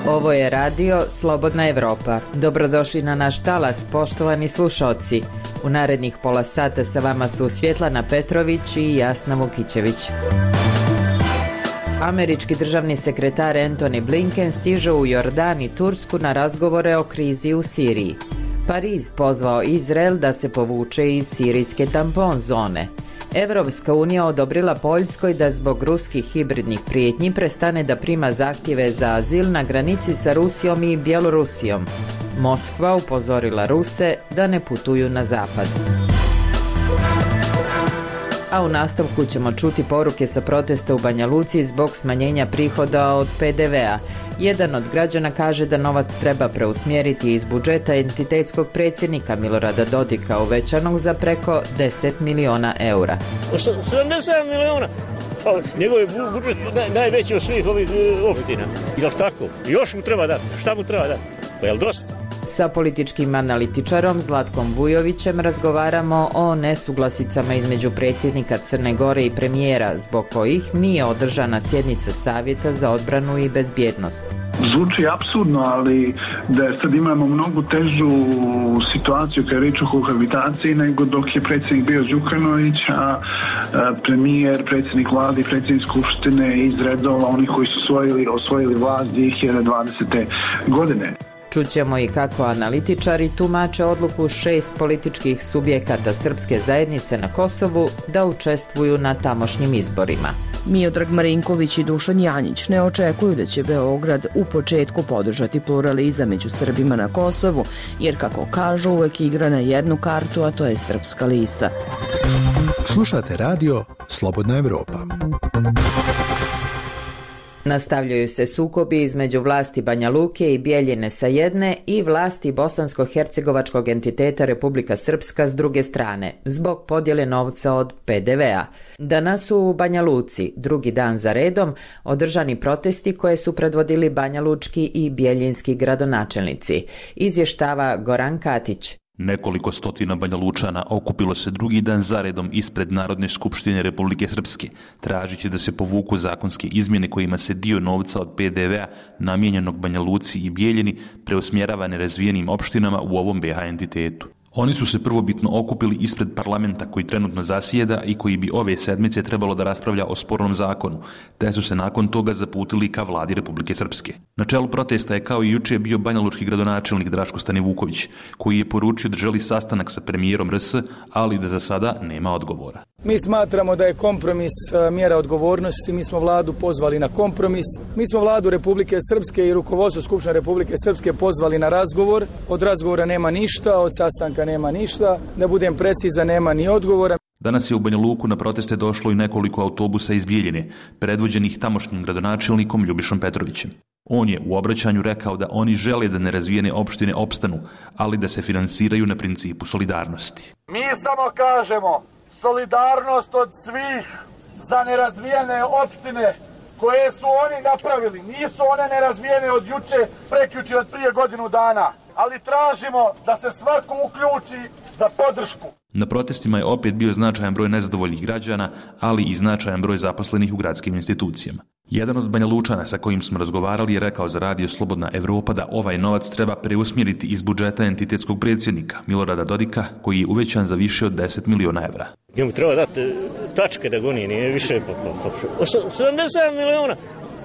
Ovo je radio Slobodna Evropa. Dobrodošli na naš talas, poštovani slušaoci. U narednih pola sata sa vama su Svjetlana Petrović i Jasna Vukićević. Američki državni sekretar Antony Blinken stiže u Jordan i Tursku na razgovore o krizi u Siriji. Pariz pozvao Izrael da se povuče iz sirijske tampon zone. Evropska unija odobrila Poljskoj da zbog ruskih hibridnih prijetnji prestane da prima zahtjeve za azil na granici sa Rusijom i Bjelorusijom. Moskva upozorila Ruse da ne putuju na zapad. A u nastavku ćemo čuti poruke sa protesta u Banja Luci zbog smanjenja prihoda od PDV-a. Jedan od građana kaže da novac treba preusmjeriti iz budžeta entitetskog predsjednika Milorada Dodika uvećanog za preko 10 miliona eura. 70 miliona! Pa njegov je budžet najveći od svih ovih opština. Jel' tako? Još mu treba dati. Šta mu treba dati? Pa jel' dosta? Sa političkim analitičarom Zlatkom Vujovićem razgovaramo o nesuglasicama između predsjednika Crne Gore i premijera, zbog kojih nije održana sjednica Savjeta za odbranu i bezbjednost. Zvuči apsurdno, ali da sad imamo mnogo težu situaciju kada je riječ o kohabitaciji nego dok je predsjednik bio Đukanović, a premijer, predsjednik vlade i predsjednik skupštine iz redova onih koji su osvojili vlast 2020. godine. Čućemo i kako analitičari tumače odluku 6 političkih subjekata srpske zajednice na Kosovu da učestvuju na tamošnjim izborima. Miodrag Marinković i Dušan Janjić ne očekuju da će Beograd u početku podržati pluralizam među Srbima na Kosovu, jer kako kažu uvek igra na jednu kartu, a to je srpska lista. Slušate radio Slobodna Evropa. Nastavljaju se sukobi između vlasti Banja Luke i Bijeljine sa jedne i vlasti bosansko-hercegovačkog entiteta Republika Srpska s druge strane, zbog podjele novca od PDV-a. Danas su u Banja Luci, drugi dan za redom, održani protesti koje su predvodili banjalučki i bijeljinski gradonačelnici, izvještava Goran Katić. Nekoliko stotina Banjalučana okupilo se drugi dan zaredom ispred Narodne skupštine Republike Srpske, tražići da se povuku zakonske izmjene kojima se dio novca od PDV-a namijenjenog Banja Luci i Bijeljini preusmjerava nerazvijenim opštinama u ovom BiH entitetu. Oni su se prvobitno okupili ispred parlamenta koji trenutno zasjeda i koji bi ove sedmice trebalo da raspravlja o spornom zakonu, te su se nakon toga zaputili ka vladi Republike Srpske. Na čelu protesta je kao i juče bio banjalučki gradonačelnik Draško Stanivuković, koji je poručio da želi sastanak sa premijerom RS, ali da za sada nema odgovora. Mi smatramo da je kompromis mjera odgovornosti, mi smo vladu pozvali na kompromis, mi smo vladu Republike Srpske i rukovodstvo Skupštine Republike Srpske pozvali na razgovor, od razgovora nema ništa, od sastanka nema ništa, da budem precizan, nema ni odgovora. Danas je u Banja Luku na proteste došlo i nekoliko autobusa iz Bijeljine, predvođenih tamošnjim gradonačelnikom Ljubišom Petrovićem. On je u obraćanju rekao da oni žele da nerazvijene opštine opstanu, ali da se finansiraju na principu solidarnosti. Mi samo kažemo solidarnost od svih za nerazvijene opštine koje su oni napravili. Nisu one nerazvijene od juče, prekjuče, od prije godinu dana. Ali tražimo da se svako uključi za podršku. Na protestima je opet bio značajan broj nezadovoljnih građana, ali i značajan broj zaposlenih u gradskim institucijama. Jedan od Banjalučana sa kojim smo razgovarali je rekao za radio Slobodna Evropa da ovaj novac treba preusmjeriti iz budžeta entitetskog predsjednika Milorada Dodika, koji je uvećan za više od 10 miliona evra. Njemu treba dati tačke da goni, nije više. 70 miliona!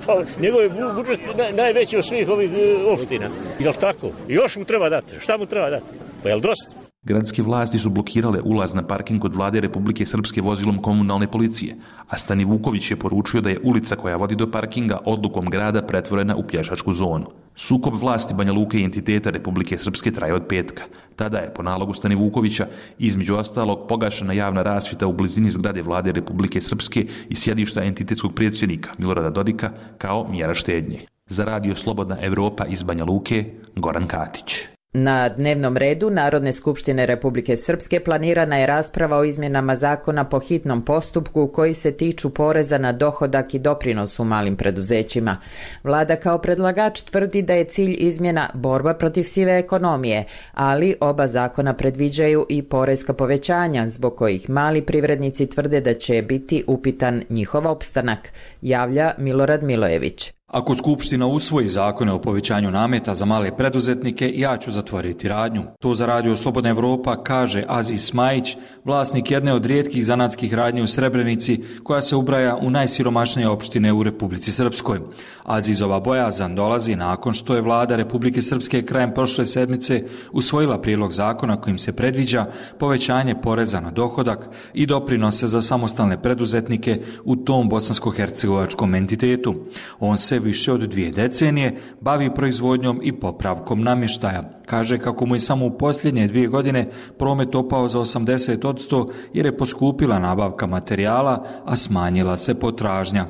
Pa njegov je budžet najveći od svih ovih opština. Jel' tako? Još mu treba dati. Šta mu treba dati? Pa jel' dosta? Gradske vlasti su blokirale ulaz na parking kod vlade Republike Srpske vozilom komunalne policije, a Stanivuković je poručio da je ulica koja vodi do parkinga odlukom grada pretvorena u pješačku zonu. Sukob vlasti Banja Luke i entiteta Republike Srpske traje od petka. Tada je, po nalogu Stanivukovića, između ostalog pogašena javna rasvjeta u blizini zgrade vlade Republike Srpske i sjedišta entitetskog predsjednika Milorada Dodika kao mjera štednje. Za radio Slobodna Evropa iz Banja Luke, Goran Katić. Na dnevnom redu Narodne skupštine Republike Srpske planirana je rasprava o izmjenama zakona po hitnom postupku koji se tiču poreza na dohodak i doprinos u malim preduzećima. Vlada kao predlagač tvrdi da je cilj izmjena borba protiv sive ekonomije, ali oba zakona predviđaju i porezka povećanja zbog kojih mali privrednici tvrde da će biti upitan njihov opstanak, javlja Milorad Milojević. Ako Skupština usvoji zakone o povećanju nameta za male preduzetnike, ja ću zatvoriti radnju. To za Radio Slobodna Evropa kaže Aziz Smajić, vlasnik jedne od rijetkih zanatskih radnji u Srebrenici, koja se ubraja u najsiromašnije opštine u Republici Srpskoj. Azizova bojazan dolazi nakon što je vlada Republike Srpske krajem prošle sedmice usvojila prijedlog zakona kojim se predviđa povećanje poreza na dohodak i doprinose za samostalne preduzetnike u tom bosansko-hercegovačkom entitetu. On se više od 2 decenije bavi proizvodnjom i popravkom namještaja. Kaže kako mu je samo u posljednje 2 godine promet opao za 80% jer je poskupila nabavka materijala, a smanjila se potražnja.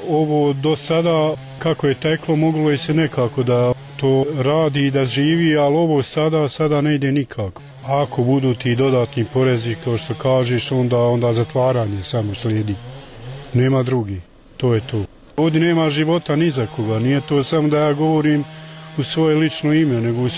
Ovo do sada kako je teklo moglo je se nekako da to radi i da živi, ali ovo sada ne ide nikako. Ako budu ti dodatni porezi, kao što kažeš, onda zatvaranje samo slijedi. Nema drugi, to je to. Ovdje nema života ni za koga, nije to samo da ja govorim u svoje lično ime, nego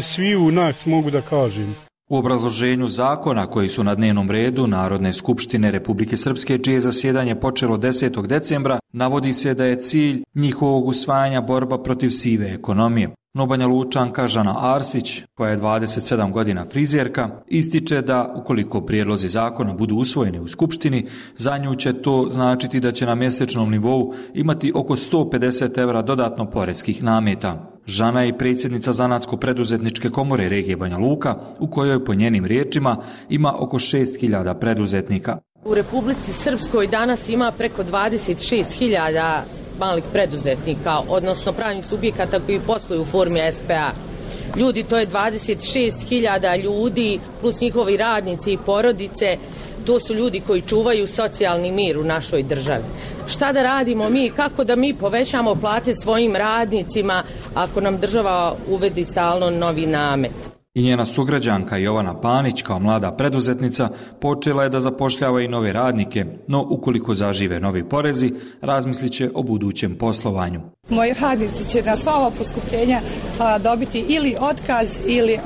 svi u nas mogu da kažem. U obrazloženju zakona koji su na dnevnom redu Narodne skupštine Republike Srpske, čije zasjedanje počelo 10. decembra, navodi se da je cilj njihovog usvajanja borba protiv sive ekonomije. No Banja Lučanka Žana Arsić, koja je 27 godina frizerka, ističe da ukoliko prijedlozi zakona budu usvojeni u Skupštini, za nju će to značiti da će na mjesečnom nivou imati oko 150 evra dodatno poreskih nameta. Žana je predsjednica Zanatsko-preduzetničke komore regije Banja Luka, u kojoj po njenim riječima ima oko 6.000 preduzetnika. U Republici Srpskoj danas ima preko 26.000 malih preduzetnika, odnosno pravnih subjekata koji posluju u formi SPA. Ljudi, to je 26.000 ljudi plus njihovi radnici i porodice. To su ljudi koji čuvaju socijalni mir u našoj državi. Šta da radimo mi, kako da mi povećamo plate svojim radnicima ako nam država uvedi stalno novi namet? I njena sugrađanka Jovana Panić, kao mlada preduzetnica, počela je da zapošljava i nove radnike, no ukoliko zažive novi porezi, razmislit će o budućem poslovanju. Moji radnici će na sva ova poskupljenja dobiti ili otkaz ili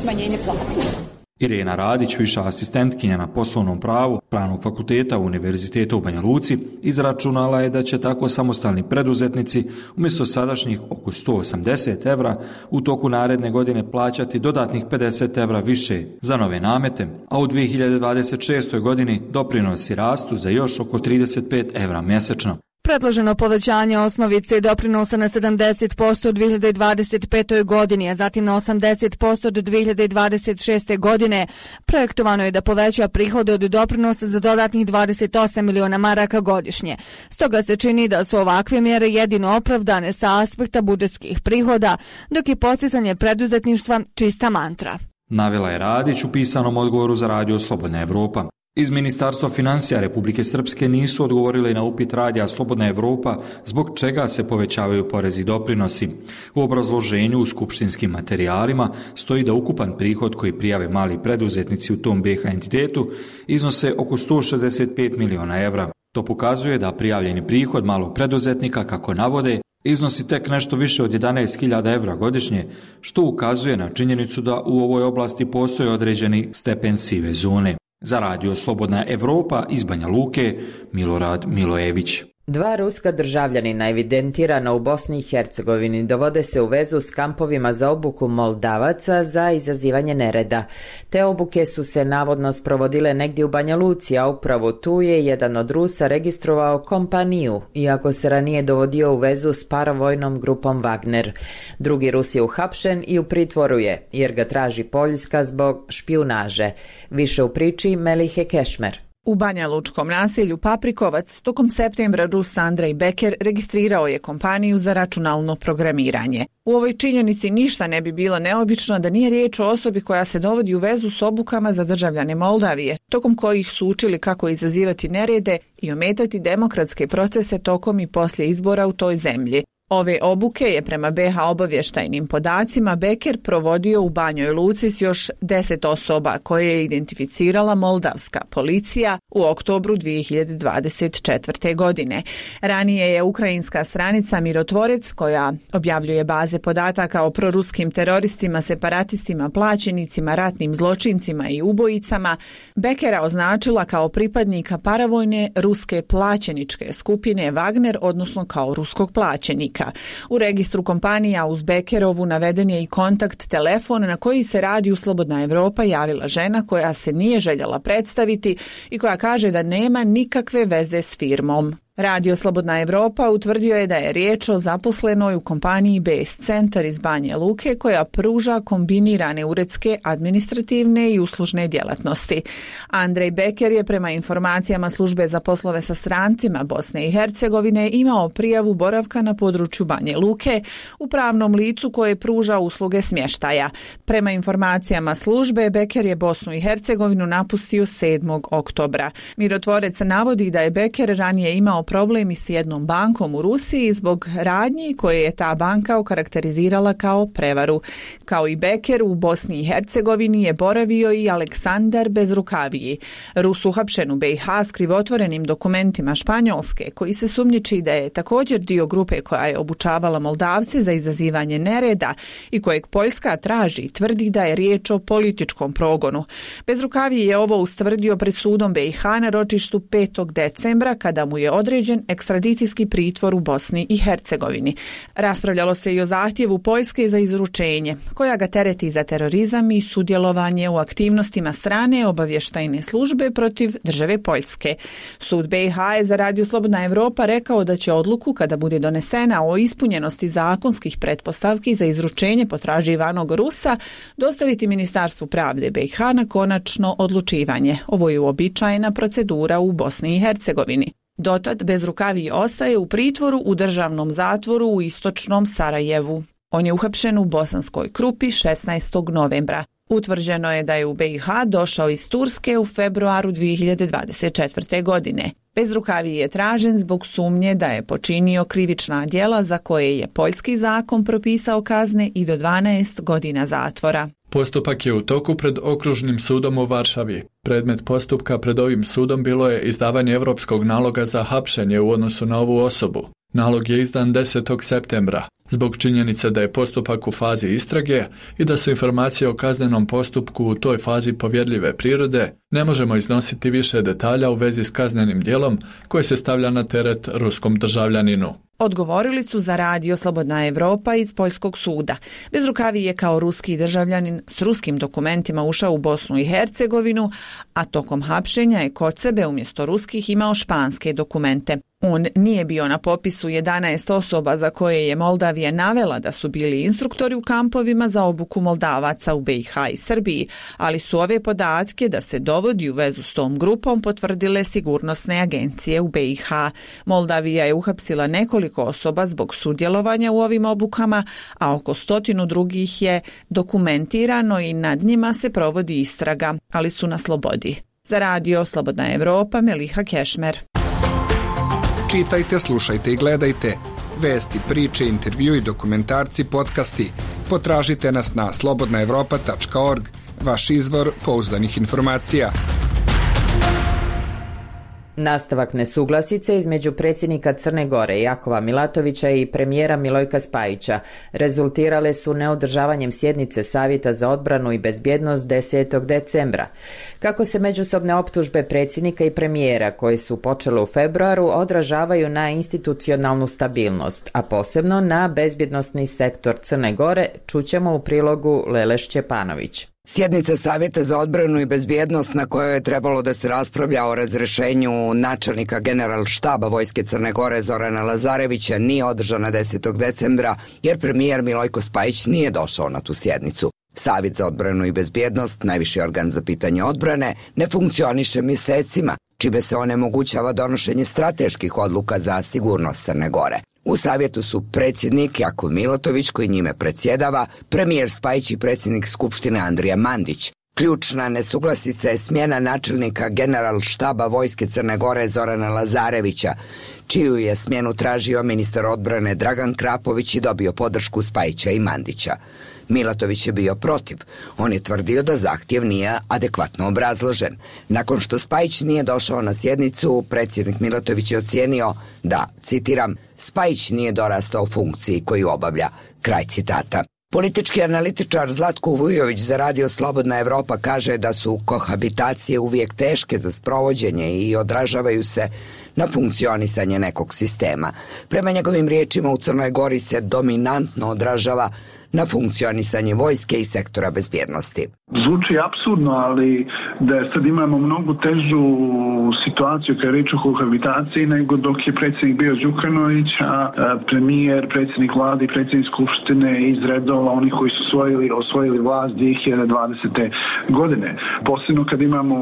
smanjenje plata. Irena Radić, viša asistentkinja na poslovnom pravu Pravnog fakulteta Univerziteta u Banja Luci, izračunala je da će tako samostalni preduzetnici umjesto sadašnjih oko 180 evra u toku naredne godine plaćati dodatnih 50 evra više za nove namete, a u 2026. godini doprinosi rastu za još oko 35 evra mjesečno. Predloženo povećanje osnovice doprinosa na 70% u 2025. godini, a zatim na 80% do 2026. godine. Projektovano je da poveća prihode od doprinosa za dodatnih 28 miliona maraka godišnje. Stoga se čini da su ovakve mjere jedino opravdane sa aspekta budžetskih prihoda, dok je postizanje preduzetništva čista mantra. Navela je Radić u pisanom odgovoru za Radio Slobodna Evropa. Iz Ministarstva financija Republike Srpske nisu odgovorili na upit Radija Slobodna Evropa zbog čega se povećavaju porezi i doprinosi. U obrazloženju u skupštinskim materijalima stoji da ukupan prihod koji prijave mali preduzetnici u tom BiH entitetu iznose oko 165 miliona evra. To pokazuje da prijavljeni prihod malog preduzetnika, kako navode, iznosi tek nešto više od 11.000 evra godišnje, što ukazuje na činjenicu da u ovoj oblasti postoji određeni stepen sive zone. Za Radio Slobodna Evropa iz Banja Luke, Milorad Milojević. 2 ruska državljanina evidentirana u Bosni i Hercegovini dovode se u vezu s kampovima za obuku Moldavaca za izazivanje nereda. Te obuke su se navodno sprovodile negdje u Banja Luci, a upravo tu je jedan od Rusa registrovao kompaniju, iako se ranije dovodio u vezu s paravojnom grupom Wagner. Drugi Rus je uhapšen i u pritvoru je, jer ga traži Poljska zbog špijunaže. Više u priči Melihe Kešmer. U Banja Lučkom naselju Paprikovac tokom septembra Rus Andrej Beker registrirao je kompaniju za računalno programiranje. U ovoj činjenici ništa ne bi bilo neobično da nije riječ o osobi koja se dovodi u vezu s obukama za državljane Moldavije, tokom kojih su učili kako izazivati nerede i ometati demokratske procese tokom i poslije izbora u toj zemlji. Ove obuke je prema BiH obavještajnim podacima Beker provodio u Banjoj Luci s još 10 osoba koje je identificirala moldavska policija u oktobru 2024. godine. Ranije je ukrajinska stranica Mirotvorec, koja objavljuje baze podataka o proruskim teroristima, separatistima, plaćenicima, ratnim zločincima i ubojicama, Bekera označila kao pripadnika paravojne ruske plaćeničke skupine Wagner, odnosno kao ruskog plaćenika. U registru kompanija uz Bekerovu naveden je i kontakt telefon na koji se Radio Slobodna Evropa javila žena koja se nije željela predstaviti i koja kaže da nema nikakve veze s firmom. Radio Slobodna Evropa utvrdio je da je riječ o zaposlenoj u kompaniji BS Centar iz Banje Luke koja pruža kombinirane uredske, administrativne i uslužne djelatnosti. Andrej Beker je prema informacijama službe za poslove sa strancima Bosne i Hercegovine imao prijavu boravka na području Banje Luke u pravnom licu koje pruža usluge smještaja. Prema informacijama službe, Beker je Bosnu i Hercegovinu napustio 7. oktobra. Mirotvorec navodi da je Beker ranije imao problemi s jednom bankom u Rusiji zbog radnji koje je ta banka okarakterizirala kao prevaru. Kao i Beker, u Bosni i Hercegovini je boravio i Aleksandar Bezrukaviji, Rus uhapšen u BiH s krivotvorenim dokumentima Španjolske, koji se sumnjiči da je također dio grupe koja je obučavala Moldavce za izazivanje nereda i kojeg Poljska traži i tvrdi da je riječ o političkom progonu. Bezrukaviji je ovo ustvrdio pred sudom BiH na ročištu 5. decembra kada mu je određen ekstradicijski pritvor u Bosni i Hercegovini. Raspravljalo se i o zahtjevu Poljske za izručenje, koja ga tereti za terorizam i sudjelovanje u aktivnostima strane obavještajne službe protiv države Poljske. Sud BiH je za Radio Slobodna Evropa rekao da će odluku, kada bude donesena o ispunjenosti zakonskih pretpostavki za izručenje potraživanog Rusa, dostaviti Ministarstvu pravde BiH na konačno odlučivanje. Ovo je uobičajena procedura u Bosni i Hercegovini. Dotad Bezrukaviji ostaje u pritvoru u državnom zatvoru u istočnom Sarajevu. On je uhapšen u Bosanskoj Krupi 16. novembra. Utvrđeno je da je u BiH došao iz Turske u februaru 2024. godine. Bezrukaviji je tražen zbog sumnje da je počinio krivična djela za koje je poljski zakon propisao kazne i do 12 godina zatvora. Postupak je u toku pred Okružnim sudom u Varšavi. Predmet postupka pred ovim sudom bilo je izdavanje europskog naloga za hapšenje u odnosu na ovu osobu. Nalog je izdan 10. septembra. Zbog činjenice da je postupak u fazi istrage i da su informacije o kaznenom postupku u toj fazi povjerljive prirode, ne možemo iznositi više detalja u vezi s kaznenim djelom koje se stavlja na teret ruskom državljaninu. Odgovorili su za Radio Slobodna Evropa iz Poljskog suda. Bezrukaviji je kao ruski državljanin s ruskim dokumentima ušao u Bosnu i Hercegovinu, a tokom hapšenja je kod sebe umjesto ruskih imao španske dokumente. On nije bio na popisu 11 osoba za koje je Moldavija navela da su bili instruktori u kampovima za obuku Moldavaca u BiH i Srbiji, ali su ove podatke da se dovodi u vezu s tom grupom potvrdile sigurnosne agencije u BiH. Moldavija je uhapsila nekoliko osoba zbog sudjelovanja u ovim obukama, a oko 100 drugih je dokumentirano i nad njima se provodi istraga, ali su na slobodi. Za Radio Slobodna Evropa, Meliha Kešmer. Čitajte, slušajte i gledajte. Vesti, priče, intervju i dokumentarci, podcasti. Potražite nas na slobodnaevropa.org, vaš izvor pouzdanih informacija. Nastavak nesuglasice između predsjednika Crne Gore Jakova Milatovića i premijera Milojka Spajića rezultirale su neodržavanjem sjednice Savjeta za odbranu i bezbjednost 10. decembra. Kako se međusobne optužbe predsjednika i premijera koje su počele u februaru odražavaju na institucionalnu stabilnost, a posebno na bezbjednosni sektor Crne Gore, čućemo u prilogu Lele Šćepanović. Sjednica Savjeta za odbranu i bezbjednost na kojoj je trebalo da se raspravlja o razrešenju načelnika Generalštaba Vojske Crne Gore Zorana Lazarevića nije održana 10. decembra jer premijer Milojko Spajić nije došao na tu sjednicu. Savjet za odbranu i bezbjednost, najviši organ za pitanje odbrane, ne funkcioniše mjesecima, čime se onemogućava donošenje strateških odluka za sigurnost Crne Gore. U savjetu su predsjednik Jakov Milatović, koji njime predsjedava, premijer Spajić i predsjednik Skupštine Andrija Mandić. Ključna nesuglasica je smjena načelnika Generalštaba Vojske Crne Gore Zorana Lazarevića, čiju je smjenu tražio ministar odbrane Dragan Krapović i dobio podršku Spajića i Mandića. Milatović je bio protiv. On je tvrdio da zahtjev nije adekvatno obrazložen. Nakon što Spajić nije došao na sjednicu, predsjednik Milatović je ocijenio da, citiram, Spajić nije dorastao funkciji koju obavlja. Kraj citata. Politički analitičar Zlatko Vujović za Radio Slobodna Evropa kaže da su kohabitacije uvijek teške za sprovođenje i odražavaju se na funkcionisanje nekog sistema. Prema njegovim riječima, u Crnoj Gori se dominantno odražava na funkcionisanje vojske i sektora bezbjednosti. Zvuči apsurdno, ali da sad imamo mnogo težu situaciju kada je reč o kohabitaciji nego dok je predsjednik bio Đukanović, a premijer, predsjednik vlade i predsjednik skupštine iz redova onih koji su osvojili vlast 2020. godine. Posebno kad imamo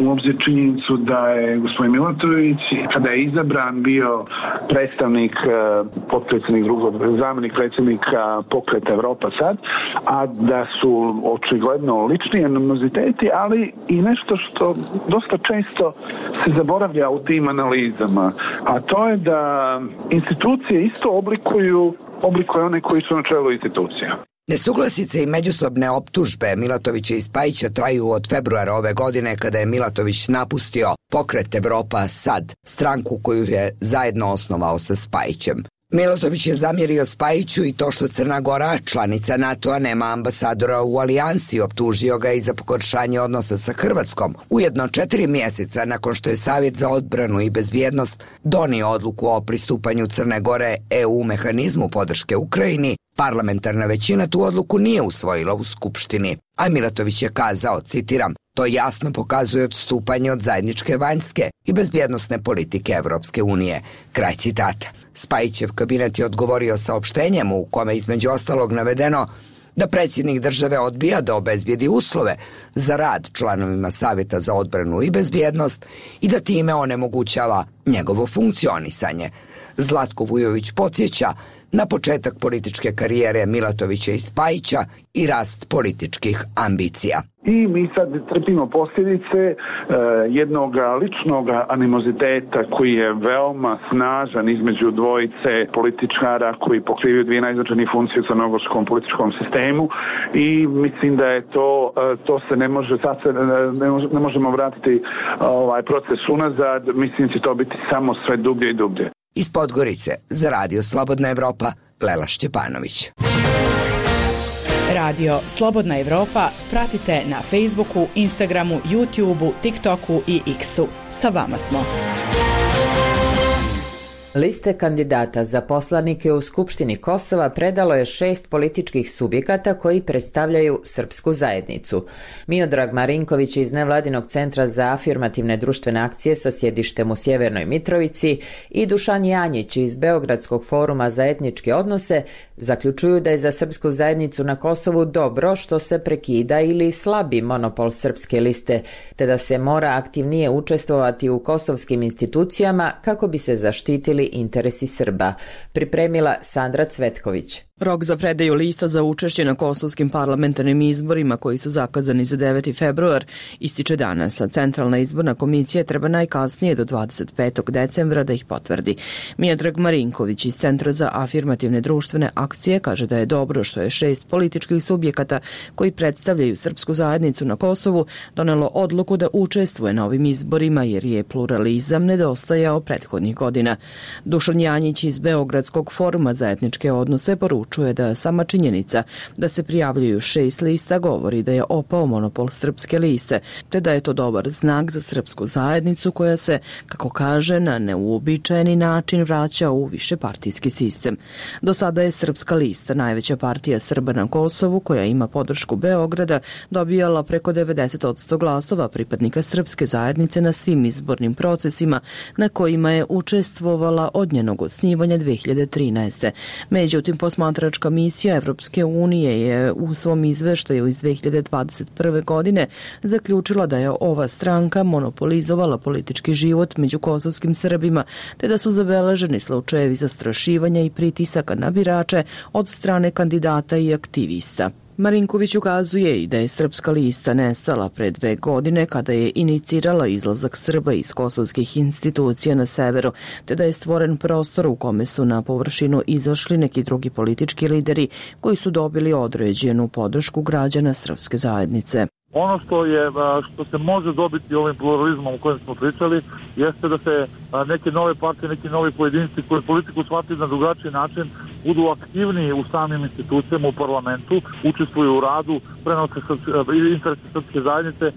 u obzir činjenicu da je gospodin Milatović, kada je izabran, bio predstavnik, potpredsjednik zamjenik predsjednika Pokreta Evropa sad, a da su očigledno lični animoziteti, ali i nešto što dosta često se zaboravlja u tim analizama, a to je da institucije isto oblikuju one koji su na čelu institucija. Nesuglasice i međusobne optužbe Milatovića i Spajića traju od februara ove godine kada je Milatović napustio Pokret Evropa sad, stranku koju je zajedno osnovao sa Spajićem. Milatović je zamjerio Spajiću i to što Crna Gora, članica NATO-a, nema ambasadora u alijansi, optužio ga i za pogoršanje odnosa sa Hrvatskom. Ujedno 4 mjeseca nakon što je Savjet za odbranu i bezbjednost donio odluku o pristupanju Crne Gore EU mehanizmu podrške Ukrajini, parlamentarna većina tu odluku nije usvojila u Skupštini. A Milatović je kazao, citiram, to jasno pokazuje odstupanje od zajedničke vanjske i bezbjednosne politike Evropske unije. Kraj citata. Spajićev kabinet je odgovorio saopštenjem u kome između ostalog navedeno da predsjednik države odbija da obezbijedi uslove za rad članovima Savjeta za odbranu i bezbjednost i da time onemogućava njegovo funkcionisanje. Zlatko Vujović podsjeća na početak političke karijere Milatovića i Spajića i rast političkih ambicija. I mi sad trpimo posljedice jednog ličnog animoziteta koji je veoma snažan između dvojice političara koji pokrivaju dvije najznačajnije funkcije u crnogorskom političkom sistemu i mislim da je to se ne može, sad se ne možemo vratiti proces unazad, mislim da će to biti samo sve dublje i dublje. Iz Podgorice za Radio Slobodna Evropa, Lela Šćepanović. Radio Slobodna Evropa pratite na Facebooku, Instagramu, YouTubeu, TikToku i X-u. Sa vama smo. Liste kandidata za poslanike u Skupštini Kosova predalo je 6 političkih subjekata koji predstavljaju srpsku zajednicu. Miodrag Marinković iz Nevladinog centra za afirmativne društvene akcije sa sjedištem u Sjevernoj Mitrovici i Dušan Janjić iz Beogradskog foruma za etničke odnose zaključuju da je za srpsku zajednicu na Kosovu dobro što se prekida ili slabi monopol srpske liste, te da se mora aktivnije učestvovati u kosovskim institucijama kako bi se zaštitili interesi Srba. Pripremila Sandra Cvetković. Rok za predaju lista za učešće na kosovskim parlamentarnim izborima koji su zakazani za 9. februar ističe danas, a Centralna izborna komisija treba najkasnije do 25. decembra da ih potvrdi. Miodrag Marinković iz Centra za afirmativne društvene akcije kaže da je dobro što je 6 političkih subjekata koji predstavljaju srpsku zajednicu na Kosovu donelo odluku da učestvuje na ovim izborima jer je pluralizam nedostajao prethodnih godina. Dušan Janjić iz Beogradskog foruma za etničke odnose poručuje da sama činjenica da se prijavljuju 6 lista govori da je opao monopol srpske liste, te da je to dobar znak za srpsku zajednicu koja se, kako kaže, na neuobičajeni način vraća u višepartijski sistem. Do sada je srpska lista, najveća partija Srba na Kosovu, koja ima podršku Beograda, dobijala preko 90% glasova pripadnika srpske zajednice na svim izbornim procesima na kojima je učestvovala od njenog osnivanja 2013. Međutim, posmatračka misija Evropske unije je u svom izveštaju iz 2021. godine zaključila da je ova stranka monopolizovala politički život među kosovskim Srbima, te da su zabeleženi slučajevi zastrašivanja i pritisaka na birače od strane kandidata i aktivista. Marinković ukazuje i da je Srpska lista nestala pre 2 godine kada je inicirala izlazak Srba iz kosovskih institucija na severu, te da je stvoren prostor u kome su na površinu izašli neki drugi politički lideri koji su dobili određenu podršku građana srpske zajednice. Ono što se može dobiti ovim pluralizmom o kojem smo pričali jeste da se neke nove partije, neki novi pojedinci koji politiku shvatili na drugačiji način budu aktivniji u samim institucijama, u parlamentu, učestvuju u radu, prenose interese srpske zajednice,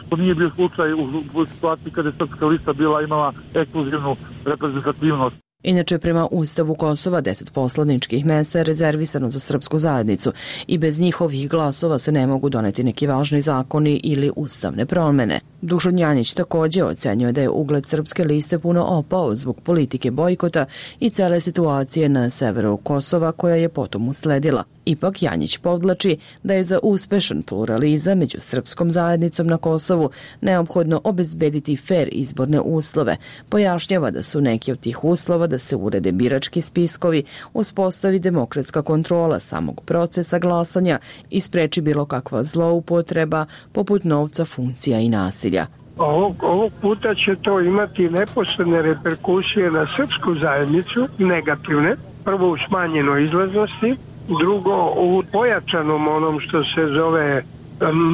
što nije bio slučaj u situaciji kada je Srpska lista imala ekskluzivnu reprezentativnost. Inače, prema Ustavu Kosova 10 poslaničkih mesta je rezervisano za srpsku zajednicu i bez njihovih glasova se ne mogu doneti neki važni zakoni ili ustavne promene. Dušan Janjić takođe ocenjuje da je ugled Srpske liste puno opao zbog politike bojkota i cele situacije na severu Kosova koja je potom usledila. Ipak Janjić podvlači da je za uspešan pluralizam među srpskom zajednicom na Kosovu neophodno obezbediti fer izborne uslove. Pojašnjava da su neki od tih uslova da se urede birački spiskovi, uspostavi demokratska kontrola samog procesa glasanja i spreči bilo kakva zloupotreba poput novca, funkcija i nasilja. Ovog puta će to imati neposredne reperkusije na srpsku zajednicu, negativne. Prvo u smanjenoj izlaznosti, drugo u pojačanom onom što se zove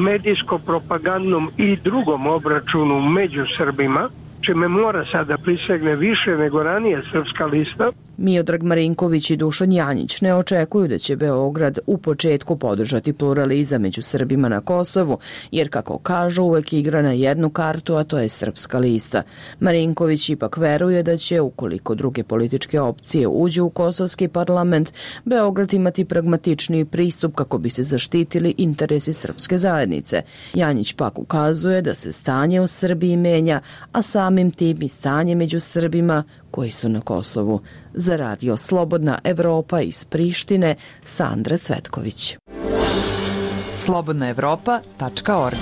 medijsko-propagandnom i drugom obračunu među Srbima, čime mora sada prisegne više nego ranije Srpska lista. Miodrag Marinković i Dušan Janjić ne očekuju da će Beograd u početku podržati pluralizam među Srbima na Kosovu, jer kako kažu uvek igra na jednu kartu, a to je Srpska lista. Marinković ipak veruje da će, ukoliko druge političke opcije uđu u kosovski parlament, Beograd imati pragmatičniji pristup kako bi se zaštitili interesi srpske zajednice. Janjić pak ukazuje da se stanje u Srbiji menja, a samim tim i stanje među Srbima koji su na Kosovu. Za radio Slobodna Evropa iz Prištine, Sandra Cvetković. slobodnaevropa.org.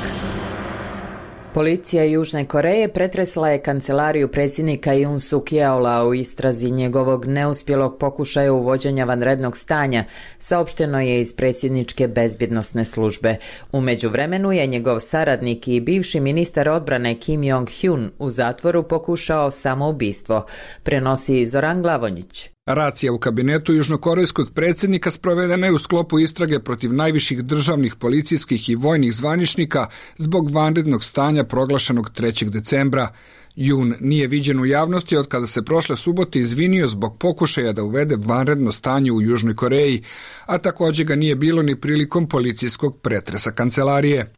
Policija Južne Koreje pretresla je kancelariju predsjednika Yoon Suk Yeola u istrazi njegovog neuspjelog pokušaja uvođenja vanrednog stanja, saopšteno je iz predsjedničke bezbjednosne službe. U međuvremenu je njegov saradnik i bivši ministar odbrane Kim Jong-hyun u zatvoru pokušao samoubistvo, prenosi Zoran Glavonjić. Racija u kabinetu južnokorejskog predsjednika sprovedena je u sklopu istrage protiv najviših državnih, policijskih i vojnih zvaničnika zbog vanrednog stanja proglašenog 3. decembra. Jun nije viđen u javnosti od kada se prošle subote izvinio zbog pokušaja da uvede vanredno stanje u Južnoj Koreji, a također ga nije bilo ni prilikom policijskog pretresa kancelarije.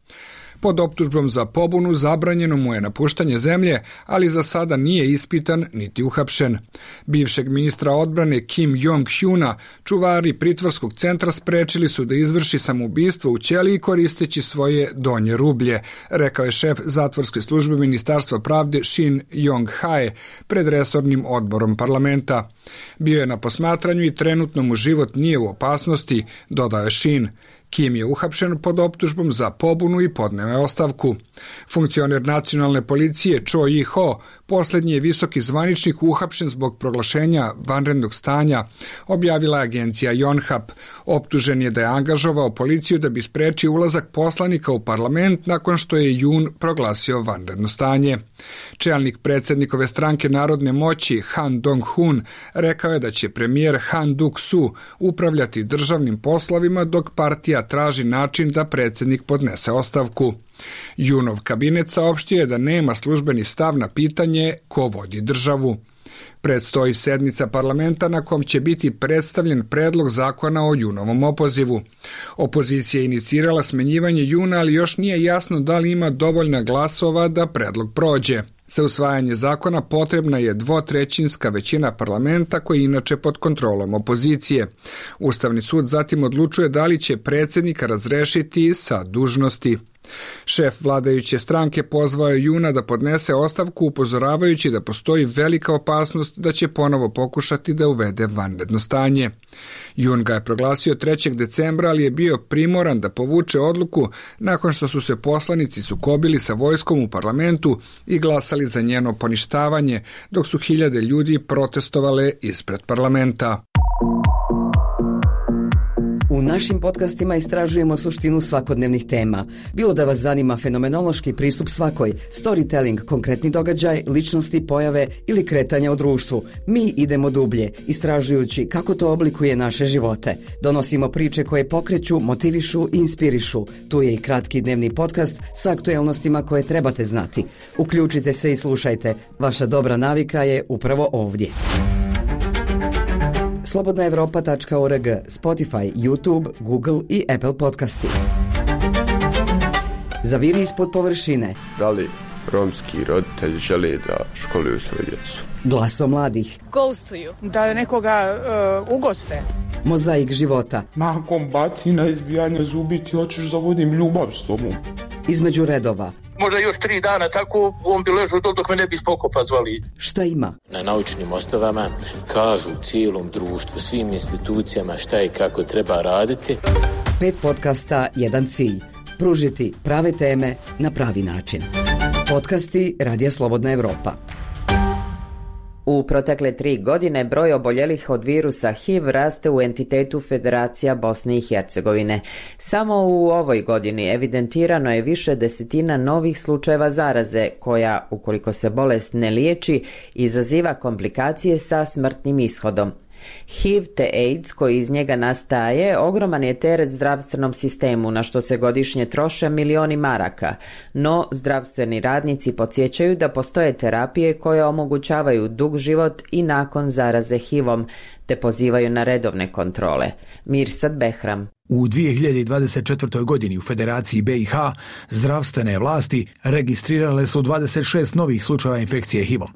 Pod optužbom za pobunu zabranjeno mu je napuštanje zemlje, ali za sada nije ispitan niti uhapšen. Bivšeg ministra odbrane Kim Jong-hyuna čuvari pritvorskog centra sprečili su da izvrši samoubistvo u ćeliji koristeći svoje donje rublje, rekao je šef zatvorske službe Ministarstva pravde Shin Yong-hae pred resornim odborom parlamenta. Bio je na posmatranju i trenutno mu život nije u opasnosti, dodao je Shin. Kim je uhapšen pod optužbom za pobunu i podneo je ostavku. Funkcioner nacionalne policije Cho Yi-ho, posljednji je visoki zvaničnik uhapšen zbog proglašenja vanrednog stanja, objavila je agencija Yonhap. Optužen je da je angažovao policiju da bi sprečio ulazak poslanika u parlament nakon što je jun proglasio vanredno stanje. Čelnik predsjednikove stranke Narodne moći Han Dong-hun rekao je da će premijer Han Duk-su upravljati državnim poslovima dok partija traži način da predsjednik podnese ostavku. Junov kabinet saopštio je da nema službeni stav na pitanje ko vodi državu. Predstoji sednica parlamenta na kom će biti predstavljen predlog zakona o Junovom opozivu. Opozicija je inicirala smenjivanje Juna, ali još nije jasno da li ima dovoljna glasova da predlog prođe. Za usvajanje zakona potrebna je 2/3 većina parlamenta koji je inače pod kontrolom opozicije. Ustavni sud zatim odlučuje da li će predsjednika razrešiti sa dužnosti. Šef vladajuće stranke pozvao je Juna da podnese ostavku upozoravajući da postoji velika opasnost da će ponovo pokušati da uvede vanredno stanje. Jun ga je proglasio 3. decembra, ali je bio primoran da povuče odluku nakon što su se poslanici sukobili sa vojskom u parlamentu i glasali za njeno poništavanje, dok su hiljade ljudi protestovale ispred parlamenta. U našim podcastima istražujemo suštinu svakodnevnih tema. Bilo da vas zanima fenomenološki pristup svakoj, storytelling, konkretni događaj, ličnosti, pojave ili kretanja u društvu, mi idemo dublje, istražujući kako to oblikuje naše živote. Donosimo priče koje pokreću, motivišu i inspirišu. Tu je i kratki dnevni podcast sa aktuelnostima koje trebate znati. Uključite se i slušajte. Vaša dobra navika je upravo ovdje. Slobodnaevropa.org, Spotify, YouTube, Google i Apple podcasti. Zaviri ispod površine. Da li romski roditelji žele da školuju svoju djecu? Glaso mladih. Ghostuju. Da nekoga ugoste. Mozaik života. Nakon bacina, izbijanja zubi ti hoćeš da vodim ljubav s tobom. Između redova. Možda još 3 dana tako, on bi ležao dok me ne bi spokopa zvali. Šta ima? Na naučnim osnovama kažu cijelom društvu, svim institucijama šta i kako treba raditi. 5 podcasta, jedan cilj. Pružiti prave teme na pravi način. Podcasti Radija Slobodna Evropa. U protekle 3 godine broj oboljelih od virusa HIV raste u entitetu Federacija Bosne i Hercegovine. Samo u ovoj godini evidentirano je više desetina novih slučajeva zaraze koja, ukoliko se bolest ne liječi, izaziva komplikacije sa smrtnim ishodom. HIV te AIDS koji iz njega nastaje ogroman je teret zdravstvenom sistemu na što se godišnje troše milioni maraka, no zdravstveni radnici podsjećaju da postoje terapije koje omogućavaju dug život i nakon zaraze HIV-om, te pozivaju na redovne kontrole. Mirsad Behram. U 2024. godini u Federaciji BiH zdravstvene vlasti registrirale su 26 novih slučajeva infekcije HIV-om.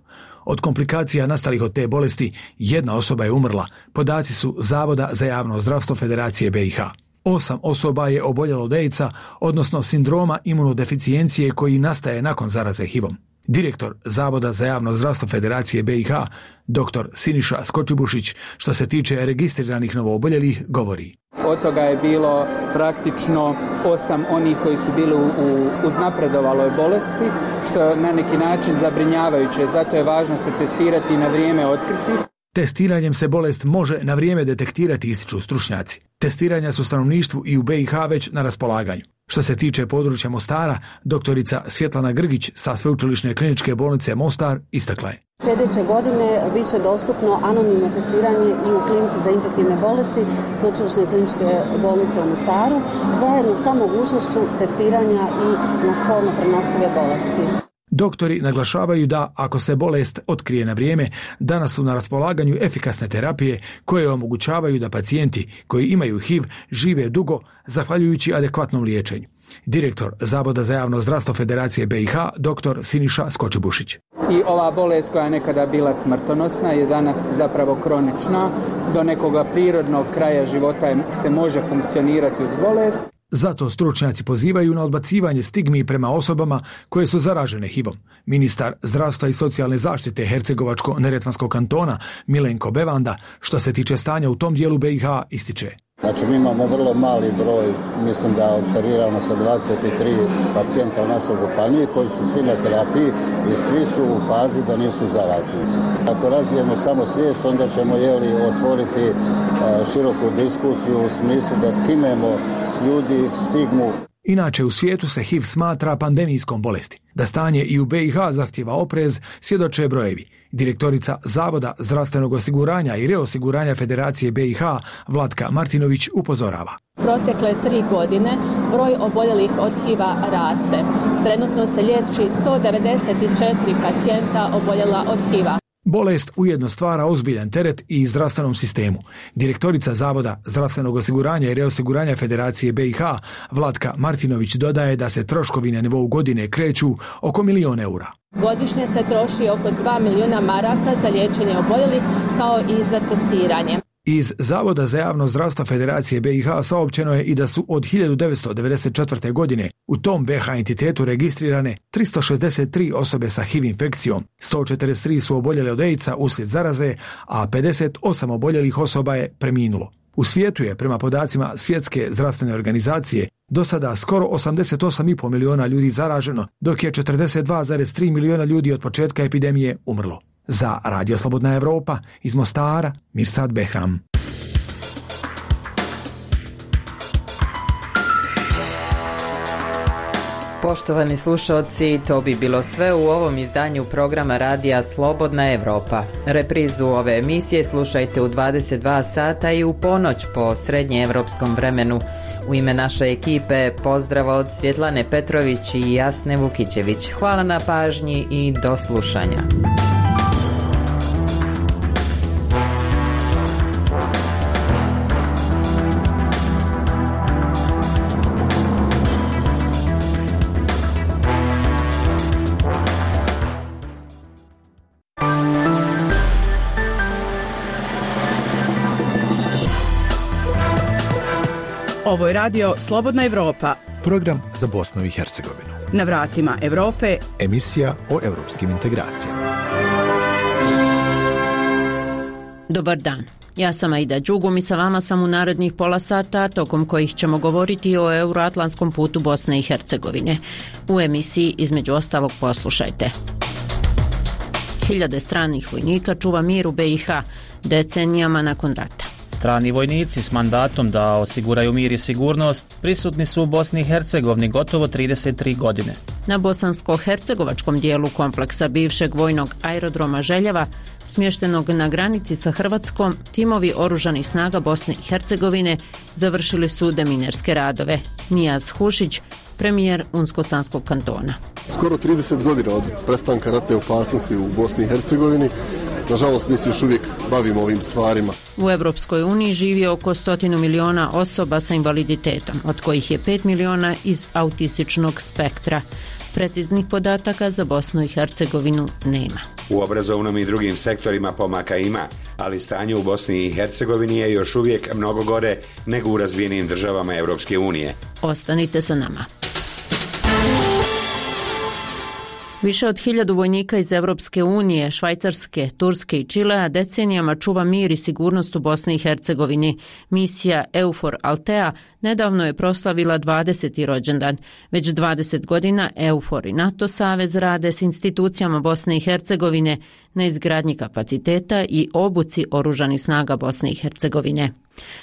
Od komplikacija nastalih od te bolesti, 1 osoba je umrla, podaci su Zavoda za javno zdravstvo Federacije BiH. 8 osoba je oboljelo od AIDS-a, odnosno sindroma imunodeficijencije koji nastaje nakon zaraze HIV-om. Direktor Zavoda za javno zdravstvo Federacije BiH, dr. Siniša Skočibušić, što se tiče registriranih novooboljelih, govori. Od toga je bilo praktično 8 onih koji su bili u uznapredovaloj bolesti, što je na neki način zabrinjavajuće, zato je važno se testirati i na vrijeme otkriti. Testiranjem se bolest može na vrijeme detektirati, ističu stručnjaci. Testiranja su stanovništvu i u BiH već na raspolaganju. Što se tiče područja Mostara, doktorica Svjetlana Grgić sa Sveučilišne kliničke bolnice Mostar istakla je. Sljedeće godine bit će dostupno anonimno testiranje i u klinici za infektivne bolesti Sveučilišne kliničke bolnice u Mostaru, zajedno sa mogućnošću testiranja i na spolno prenosive bolesti. Doktori naglašavaju da, ako se bolest otkrije na vrijeme, danas su na raspolaganju efikasne terapije koje omogućavaju da pacijenti koji imaju HIV žive dugo zahvaljujući adekvatnom liječenju. Direktor Zavoda za javno zdravstvo Federacije BiH, dr. Siniša Skočibušić. I ova bolest koja je nekada bila smrtonosna je danas zapravo kronična. Do nekoga prirodnog kraja života se može funkcionirati uz bolest. Zato stručnjaci pozivaju na odbacivanje stigmi prema osobama koje su zaražene HIV-om. Ministar zdravstva i socijalne zaštite Hercegovačko-neretvanskog kantona Milenko Bevanda, što se tiče stanja u tom dijelu BiH, ističe. Znači mi imamo vrlo mali broj, mislim da observiramo sa 23 pacijenta u našoj županiji koji su svi na terapiji i svi su u fazi da nisu zarazni. Ako razvijemo samo svijest, onda ćemo otvoriti široku diskusiju u smislu da skinemo s ljudi stigmu. Inače, u svijetu se HIV smatra pandemijskom bolesti. Da stanje i u BiH zahtjeva oprez, svjedoče brojevi. Direktorica Zavoda zdravstvenog osiguranja i reosiguranja Federacije BiH, Vlatka Martinović, upozorava. Protekle 3 godine broj oboljelih od HIV-a raste. Trenutno se liječi 194 pacijenta oboljela od HIV-a. Bolest ujedno stvara ozbiljan teret i zdravstvenom sistemu. Direktorica Zavoda zdravstvenog osiguranja i reosiguranja Federacije BiH, Vlatka Martinović, dodaje da se troškovi na nivou godine kreću oko 1 milion eura. Godišnje se troši oko 2 miliona maraka za liječenje oboljelih kao i za testiranje. Iz Zavoda za javno zdravstvo Federacije BiH saopćeno je i da su od 1994. godine u tom BiH entitetu registrirane 363 osobe sa HIV infekcijom, 143 su oboljele od AIDS-a uslijed zaraze, a 58 oboljelih osoba je preminulo. U svijetu je, prema podacima Svjetske zdravstvene organizacije, do sada skoro 88,5 miliona ljudi zaraženo, dok je 42,3 miliona ljudi od početka epidemije umrlo. Za Radio Slobodna Evropa iz Mostara, Mirsad Behram. Poštovani slušalci, to bi bilo sve u ovom izdanju programa radija Slobodna Evropa. Reprizu ove emisije slušajte u 22 sata i u ponoć po srednjeevropskom vremenu. U ime naše ekipe pozdrav od Svjetlane Petrović i Jasne Vukićević. Hvala na pažnji i do slušanja. Ovo je radio Slobodna Evropa. Program za Bosnu i Hercegovinu. Na vratima Evrope. Emisija o europskim integracijama. Dobar dan. Ja sam Aida Đugum i sa vama sam u narednih pola sata, tokom kojih ćemo govoriti o euroatlantskom putu Bosne i Hercegovine. U emisiji između ostalog poslušajte. Hiljade stranih vojnika čuva mir u BiH decenijama nakon rata. Strani vojnici s mandatom da osiguraju mir i sigurnost prisutni su u Bosni i Hercegovini gotovo 33 godine. Na bosansko-hercegovačkom dijelu kompleksa bivšeg vojnog aerodroma Željeva, smještenog na granici sa Hrvatskom, timovi oružanih snaga Bosne i Hercegovine završili su deminerske radove. Nijaz Hušić, premijer Unsko-Sanskog kantona. Skoro 30 godina od prestanka ratne opasnosti u Bosni i Hercegovini. Nažalost, mi se još uvijek bavimo ovim stvarima. U Evropskoj uniji živi oko 100 miliona osoba sa invaliditetom, od kojih je 5 miliona iz autističnog spektra. Preciznih podataka za Bosnu i Hercegovinu nema. U obrazovnom i drugim sektorima pomaka ima, ali stanje u Bosni i Hercegovini je još uvijek mnogo gore nego u razvijenim državama Europske unije. Ostanite sa nama. Više od 1000 vojnika iz Evropske unije, Švajcarske, Turske i Čilea decenijama čuva mir i sigurnost u Bosni i Hercegovini. Misija EUFOR Altea nedavno je proslavila 20. rođendan. Već 20 godina EUFOR i NATO savez rade s institucijama Bosne i Hercegovine na izgradnji kapaciteta i obuci oružanih snaga Bosne i Hercegovine.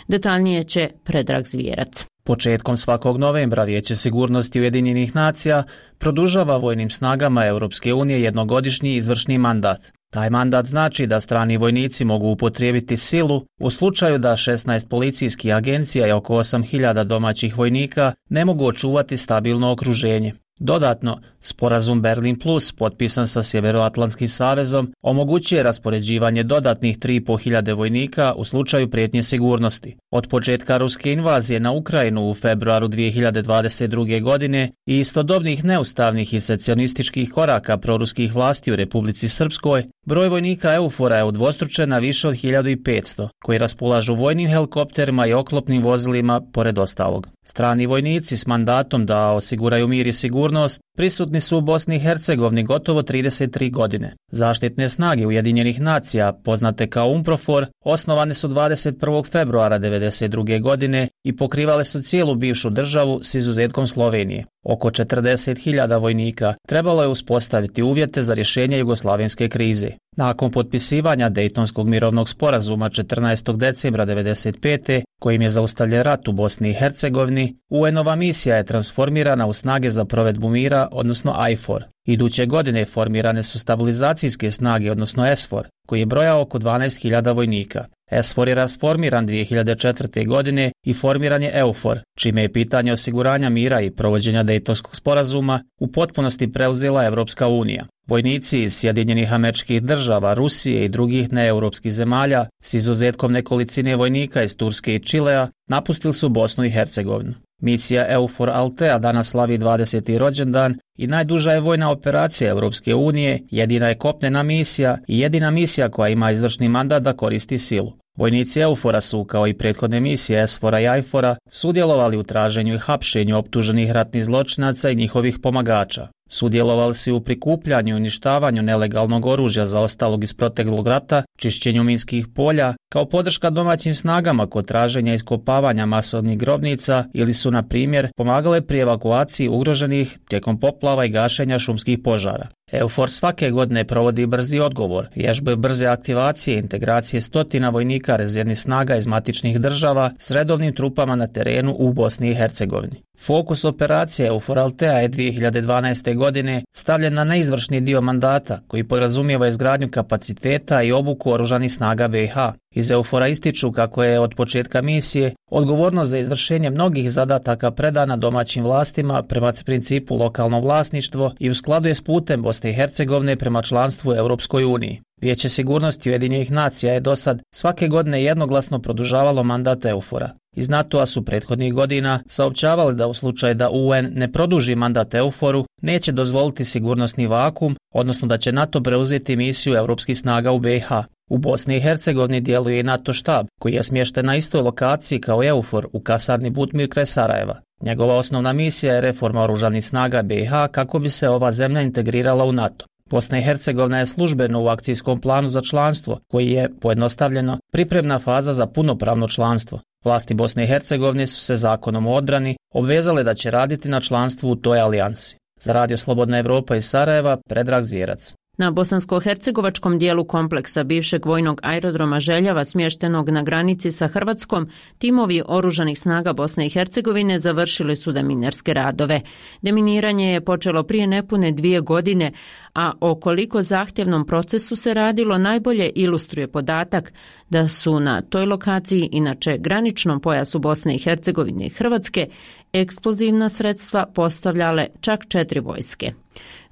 Detaljnije će Predrag Zvijerac. Početkom svakog novembra Vijeće sigurnosti Ujedinjenih nacija produžava vojnim snagama Europske unije jednogodišnji izvršni mandat. Taj mandat znači da strani vojnici mogu upotrijebiti silu u slučaju da 16 policijskih agencija i oko 8000 domaćih vojnika ne mogu očuvati stabilno okruženje. Dodatno, sporazum Berlin Plus, potpisan sa Sjeveroatlantskim savezom, omogućuje raspoređivanje dodatnih 3500 vojnika u slučaju prijetnje sigurnosti. Od početka ruske invazije na Ukrajinu u februaru 2022. godine i istodobnih neustavnih i secesionističkih koraka proruskih vlasti u Republici Srpskoj, broj vojnika EUFOR-a je udvostručen na više od 1500, koji raspolažu vojnim helikopterima i oklopnim vozilima, pored ostalog. Strani vojnici s mandatom da osiguraju mir i sigurnost prisutni su u Bosni i Hercegovini gotovo 33 godine. Zaštitne snage Ujedinjenih nacija, poznate kao UNPROFOR, osnovane su 21. februara 1992. godine i pokrivale su cijelu bivšu državu s izuzetkom Slovenije. Oko 40.000 vojnika trebalo je uspostaviti uvjete za rješenje jugoslavenske krize. Nakon potpisivanja Dejtonskog mirovnog sporazuma 14. decembra 1995. kojim je zaustavljen rat u Bosni i Hercegovini, UN-ova misija je transformirana u snage za provedbu mira, odnosno IFOR. Iduće godine formirane su stabilizacijske snage, odnosno SFOR, koji je brojao oko 12.000 vojnika. SFOR je rasformiran 2004. godine i formiran je EUFOR, čime je pitanje osiguranja mira i provođenja Dejtonskog sporazuma u potpunosti preuzela Evropska unija. Vojnici iz Sjedinjenih Američkih Država, Rusije i drugih neeuropskih zemalja, s izuzetkom nekolicine vojnika iz Turske i Čilea, napustili su Bosnu i Hercegovinu. Misija EUFOR Altea danas slavi 20. rođendan i najduža je vojna operacija Europske unije, jedina je kopnena misija i jedina misija koja ima izvršni mandat da koristi silu. Vojnici EUFOR-a su, kao i prethodne misije SFOR-a i IFOR-a, sudjelovali u traženju i hapšenju optuženih ratnih zločinaca i njihovih pomagača. Sudjelovali su u prikupljanju i uništavanju nelegalnog oružja zaostalog iz proteklog rata, čišćenju minskih polja, kao podrška domaćim snagama kod traženja i iskopavanja masovnih grobnica ili su, na primjer, pomagale pri evakuaciji ugroženih tijekom poplava i gašenja šumskih požara. EUFOR svake godine provodi brzi odgovor, vježbe brze aktivacije i integracije stotina vojnika rezervnih snaga iz matičnih država s redovnim trupama na terenu u Bosni i Hercegovini. Fokus operacije EUFOR Altea je 2012. godine stavljen na neizvršni dio mandata koji podrazumijeva izgradnju kapaciteta i obuku oružanih snaga BiH. Iz EUFOR-a ističu kako je od početka misije odgovornost za izvršenje mnogih zadataka predana domaćim vlastima prema principu lokalno vlasništvo i u skladu je s putem Bosne i Hercegovine prema članstvu u Europskoj uniji. Vijeće sigurnosti Ujedinjenih nacija je dosad svake godine jednoglasno produžavalo mandat EUFOR-a. Iz NATO-a su prethodnih godina saopćavali da u slučaju da UN ne produži mandat EUFOR-u, neće dozvoliti sigurnosni vakum, odnosno da će NATO preuzeti misiju europskih snaga u BiH. U Bosni i Hercegovini djeluje i NATO štab, koji je smješten na istoj lokaciji kao EUFOR u kasarni Butmir kraj Sarajeva. Njegova osnovna misija je reforma oružanih snaga BiH kako bi se ova zemlja integrirala u NATO. Bosna i Hercegovina je službeno u akcijskom planu za članstvo, koji je, pojednostavljeno, pripremna faza za punopravno članstvo. Vlasti Bosne i Hercegovine su se zakonom o odbrani obvezale da će raditi na članstvu u toj alijansi. Za Radio Slobodna Evropa iz Sarajeva, Predrag Zvjerac. Na bosansko-hercegovačkom dijelu kompleksa bivšeg vojnog aerodroma Željava smještenog na granici sa Hrvatskom, timovi oružanih snaga Bosne i Hercegovine završili su deminerske radove. Deminiranje je počelo prije nepune 2 godine, a o koliko zahtjevnom procesu se radilo najbolje ilustruje podatak da su na toj lokaciji, inače graničnom pojasu Bosne i Hercegovine i Hrvatske, eksplozivna sredstva postavljale čak 4 vojske.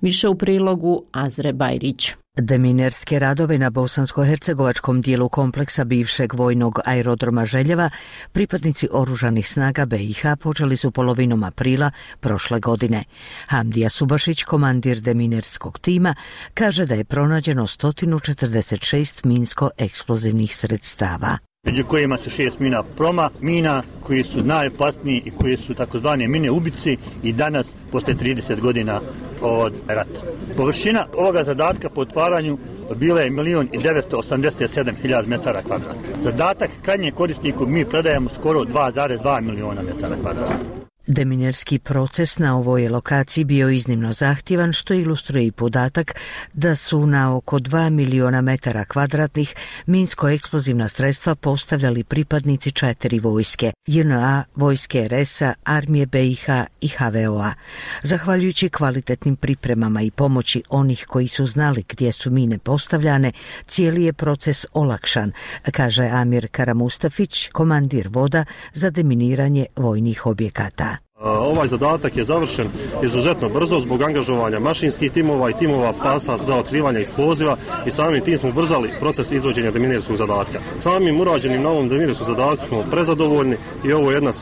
Više u prilogu Azre Bajrić. Deminerske radove na bosansko-hercegovačkom dijelu kompleksa bivšeg vojnog aerodroma Željeva pripadnici oružanih snaga BiH počeli su polovinom aprila prošle godine. Hamdija Subašić, komandir deminerskog tima, kaže da je pronađeno 146 minsko-eksplozivnih sredstava. Među kojima su 6 mina proma, mina koji su najopasniji i koji su takozvane mine ubici i danas posle 30 godina od rata. Površina ovoga zadatka po otvaranju bila je 1.987.000 metara kvadratnih. Zadatak krajnjem korisniku mi predajemo skoro 2,2 miliona metara kvadratnih. Deminerski proces na ovoj lokaciji bio iznimno zahtjevan, što ilustruje i podatak da su na oko 2 miliona metara kvadratnih minsko-eksplozivna sredstva postavljali pripadnici 4 vojske, JNA, vojske RS-a, armije BiH i HVO-a. Zahvaljujući kvalitetnim pripremama i pomoći onih koji su znali gdje su mine postavljane, cijeli je proces olakšan, kaže Amir Karamustafić, komandir voda za deminiranje vojnih objekata. Ovaj zadatak je završen izuzetno brzo zbog angažovanja mašinskih timova i timova pasa za otkrivanje eksploziva i samim tim smo ubrzali proces izvođenja deminerskog zadatka. Samim urađenim na ovom deminerskom zadatku smo prezadovoljni i ovo je jedna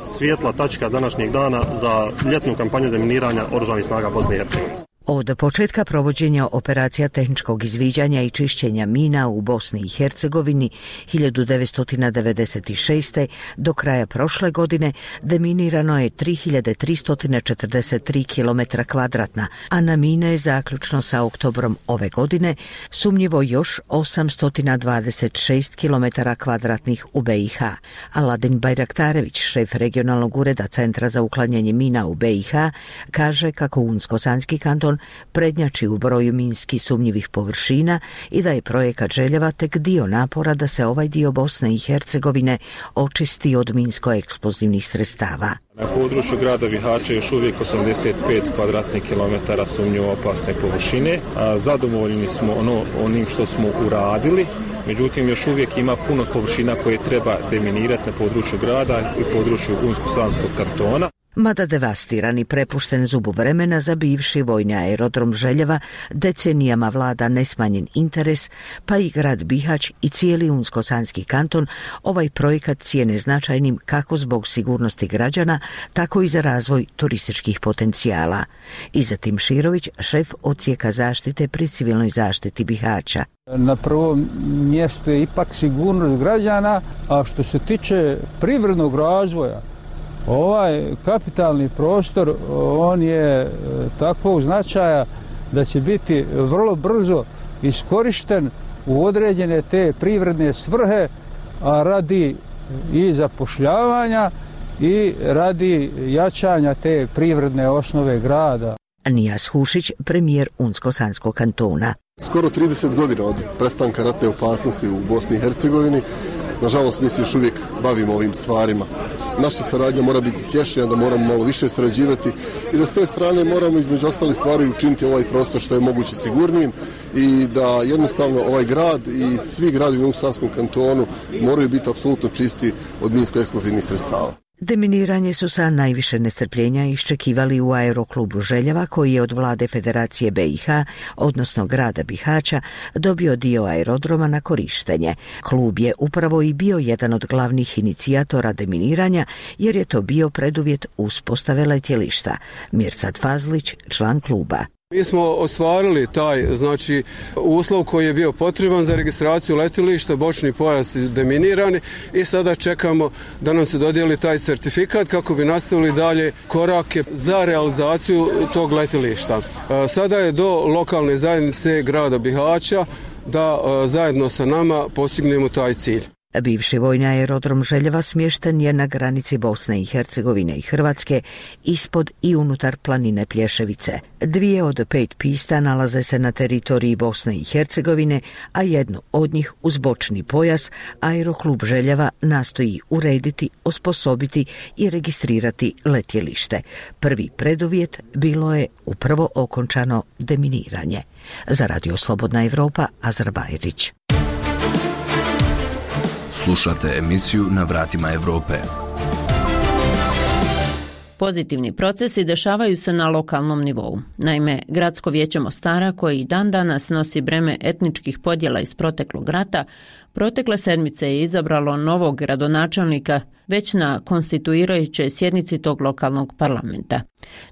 svijetla tačka današnjeg dana za ljetnu kampanju deminiranja oružanih snaga Bosne i Hercegovine. Od početka provođenja operacija tehničkog izviđanja i čišćenja mina u Bosni i Hercegovini 1996. do kraja prošle godine deminirano je 3343 km kvadratna, a na mine je zaključno sa oktobrom ove godine sumnjivo još 826 km kvadratnih u BiH. Aladin Bajraktarević, šef regionalnog ureda Centra za uklanjanje mina u BiH, kaže kako Unsko-Sanski kanton prednjači u broju minski sumnjivih površina i da je projekat Željeva tek dio napora da se ovaj dio Bosne i Hercegovine očisti od minsko-eksplozivnih sredstava. Na području grada Bihaća još uvijek 85 kvadratnih kilometara sumnjivo opasne površine. Zadovoljni smo onim što smo uradili, međutim još uvijek ima puno površina koje treba deminirati na području grada i području Unsko-Sanskog kantona. Mada devastiran i prepušten zubu vremena za bivši vojni aerodrom Željeva, decenijama vlada nesmanjen interes, pa i grad Bihać i cijeli Unsko-Sanski kanton ovaj projekat cijene značajnim kako zbog sigurnosti građana, tako i za razvoj turističkih potencijala. Izatim Širović, šef odsjeka zaštite pri civilnoj zaštiti Bihaća. Na prvom mjestu je ipak sigurnost građana, a što se tiče privrednog razvoja, ovaj kapitalni prostor, on je takvog značaja da će biti vrlo brzo iskorišten u određene te privredne svrhe, a radi i zapošljavanja i radi jačanja te privredne osnove grada. Nijas Hušić, premijer Unsko-Sanskog kantona. Skoro 30 godina od prestanka ratne opasnosti u Bosni i Hercegovini, nažalost mi se još uvijek bavimo ovim stvarima. Naša saradnja mora biti tješnija, da moramo malo više sarađivati i da s te strane moramo između ostalih stvari učiniti ovaj prostor što je moguće sigurnijim i da jednostavno ovaj grad i svi gradovi u Unsko-Sanskom kantonu moraju biti apsolutno čisti od minsko-eksplozivnih sredstava. Deminiranje su sa najviše nestrpljenja iščekivali u aeroklubu Željeva, koji je od vlade Federacije BiH, odnosno grada Bihaća, dobio dio aerodroma na korištenje. Klub je upravo i bio jedan od glavnih inicijatora deminiranja, jer je to bio preduvjet uspostave letjelišta. Mirsad Fazlić, član kluba. Mi smo ostvarili taj uslov koji je bio potreban za registraciju letjelišta, bočni pojas deminirani i sada čekamo da nam se dodijeli taj certifikat kako bi nastavili dalje korake za realizaciju tog letjelišta. Sada je do lokalne zajednice grada Bihaća da zajedno sa nama postignemo taj cilj. Bivši vojni aerodrom Željeva smješten je na granici Bosne i Hercegovine i Hrvatske, ispod i unutar planine Plješevice. 2 od 5 pista nalaze se na teritoriji Bosne i Hercegovine, a jednu od njih uz bočni pojas aeroklub Željeva nastoji urediti, osposobiti i registrirati letjelište. Prvi preduvjet bilo je upravo okončano deminiranje. Za Radio Slobodna Evropa, Azar Bajrić. Slušate emisiju Na vratima Europe. Pozitivni procesi dešavaju se na lokalnom nivou. Naime, Gradsko vijeće Mostara, koji i dan danas nosi breme etničkih podjela iz proteklog rata, protekle sedmice je izabralo novog gradonačelnika već na konstituirajućoj sjednici tog lokalnog parlamenta.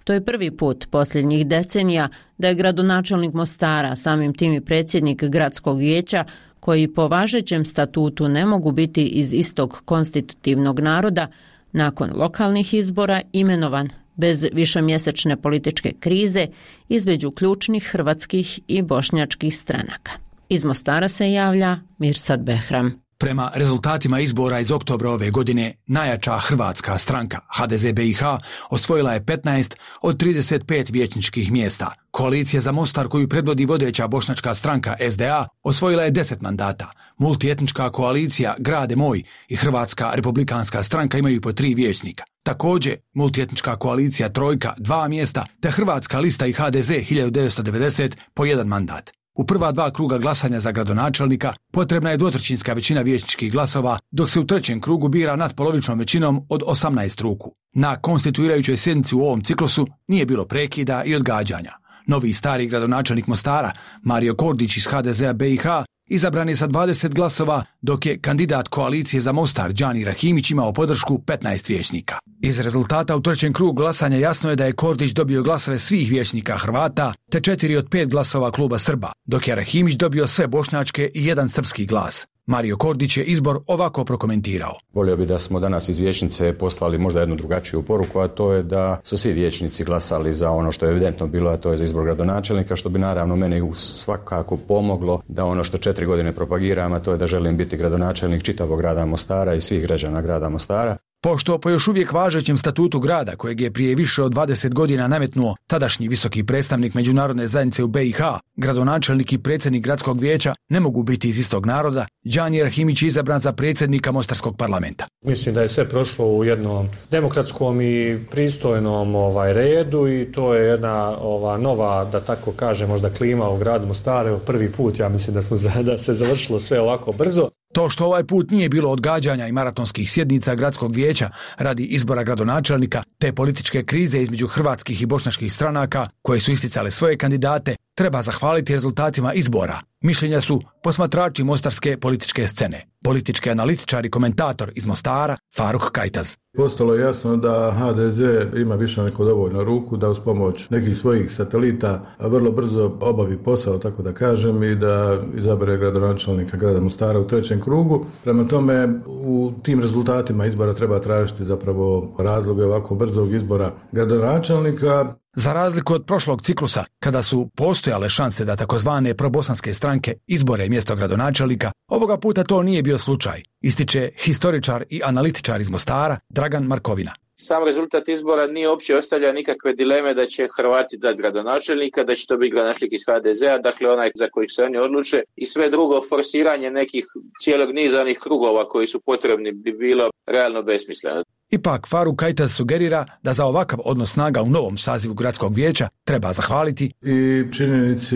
To je prvi put posljednjih decenija da je gradonačelnik Mostara, samim tim i predsjednik Gradskog vijeća, koji po važećem statutu ne mogu biti iz istog konstitutivnog naroda, nakon lokalnih izbora imenovan bez višemjesečne političke krize između ključnih hrvatskih i bošnjačkih stranaka. Iz Mostara se javlja Mirsad Behram. Prema rezultatima izbora iz oktobra ove godine, najjača hrvatska stranka HDZ BiH osvojila je 15 od 35 vijećničkih mjesta. Koalicija za Mostar, koju predvodi vodeća bošnjačka stranka SDA, osvojila je 10 mandata. Multietnička koalicija Grade moj i Hrvatska republikanska stranka imaju po 3 vijećnika. Također, multietnička koalicija Trojka 2 mjesta, te Hrvatska lista i HDZ 1990 po 1 mandat. U prva 2 kruga glasanja za gradonačelnika potrebna je 2/3 većina vijećničkih glasova, dok se u 3. krugu bira natpolovičnom većinom od 18 ruku. Na konstituirajućoj sjednici u ovom ciklusu nije bilo prekida i odgađanja. Novi i stari gradonačelnik Mostara, Mario Kordić iz HDZ-a BiH, izabran je sa 20 glasova, dok je kandidat koalicije za Mostar Džani Rahimić imao podršku 15 vijećnika. Iz rezultata u 3. krugu glasanja jasno je da je Kordić dobio glasove svih vijećnika Hrvata, te 4 od 5 glasova kluba Srba, dok je Rahimić dobio sve bošnjačke i 1 srpski glas. Mario Kordić je izbor ovako prokomentirao. Volio bi da smo danas iz vijećnice poslali možda jednu drugačiju poruku, a to je da su svi vijećnici glasali za ono što je evidentno bilo, a to je za izbor gradonačelnika, što bi naravno mene svakako pomoglo da ono što 4 godine propagiram, a to je da želim biti gradonačelnik čitavog grada Mostara i svih građana grada Mostara. Pošto po još uvijek važećem statutu grada, kojeg je prije više od 20 godina nametnuo tadašnji visoki predstavnik međunarodne zajednice u BiH, gradonačelnik i predsjednik gradskog vijeća ne mogu biti iz istog naroda, Džani Rahimić je izabran za predsjednika Mostarskog parlamenta. Mislim da je sve prošlo u jednom demokratskom i pristojnom redu i to je jedna nova, da tako kaže, možda klima u gradu Mostaru. Prvi put, ja mislim da se završilo sve ovako brzo. To što ovaj put nije bilo odgađanja i maratonskih sjednica gradskog vijeća radi izbora gradonačelnika te političke krize između hrvatskih i bošnjačkih stranaka koje su isticale svoje kandidate, treba zahvaliti rezultatima izbora. Mišljenja su posmatrači mostarske političke scene. Politički analitičar i komentator iz Mostara, Faruk Kajtaz. Postalo je jasno da HDZ ima više neko dovoljno ruku da uz pomoć nekih svojih satelita vrlo brzo obavi posao, tako da kažem, i da izabere gradonačelnika grada Mostara u 3. krugu. Prema tome, u tim rezultatima izbora treba tražiti zapravo razloge ovako brzog izbora gradonačelnika. Za razliku od prošlog ciklusa, kada su postojale šanse da takozvane probosanske stranke izbore mjesto gradonačelnika, ovoga puta to nije bio slučaj, ističe historičar i analitičar iz Mostara Dragan Markovina. Sam rezultat izbora nije uopće ostavlja nikakve dileme da će Hrvati dati gradonačelnika, da će to biti gradonačelnik iz HDZ-a, dakle onaj za kojih se oni odluče, i sve drugo forsiranje nekih cijelog niza onih krugova koji su potrebni bi bilo realno besmisleno. Ipak Faruk Kajtas sugerira da za ovakav odnos snaga u novom sazivu gradskog vijeća treba zahvaliti i činjenici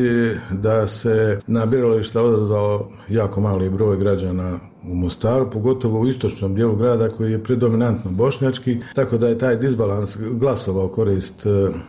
da se na birališta odazvao jako mali broj građana u Mostaru, pogotovo u istočnom dijelu grada koji je predominantno bošnjački, tako da je taj disbalans glasova u korist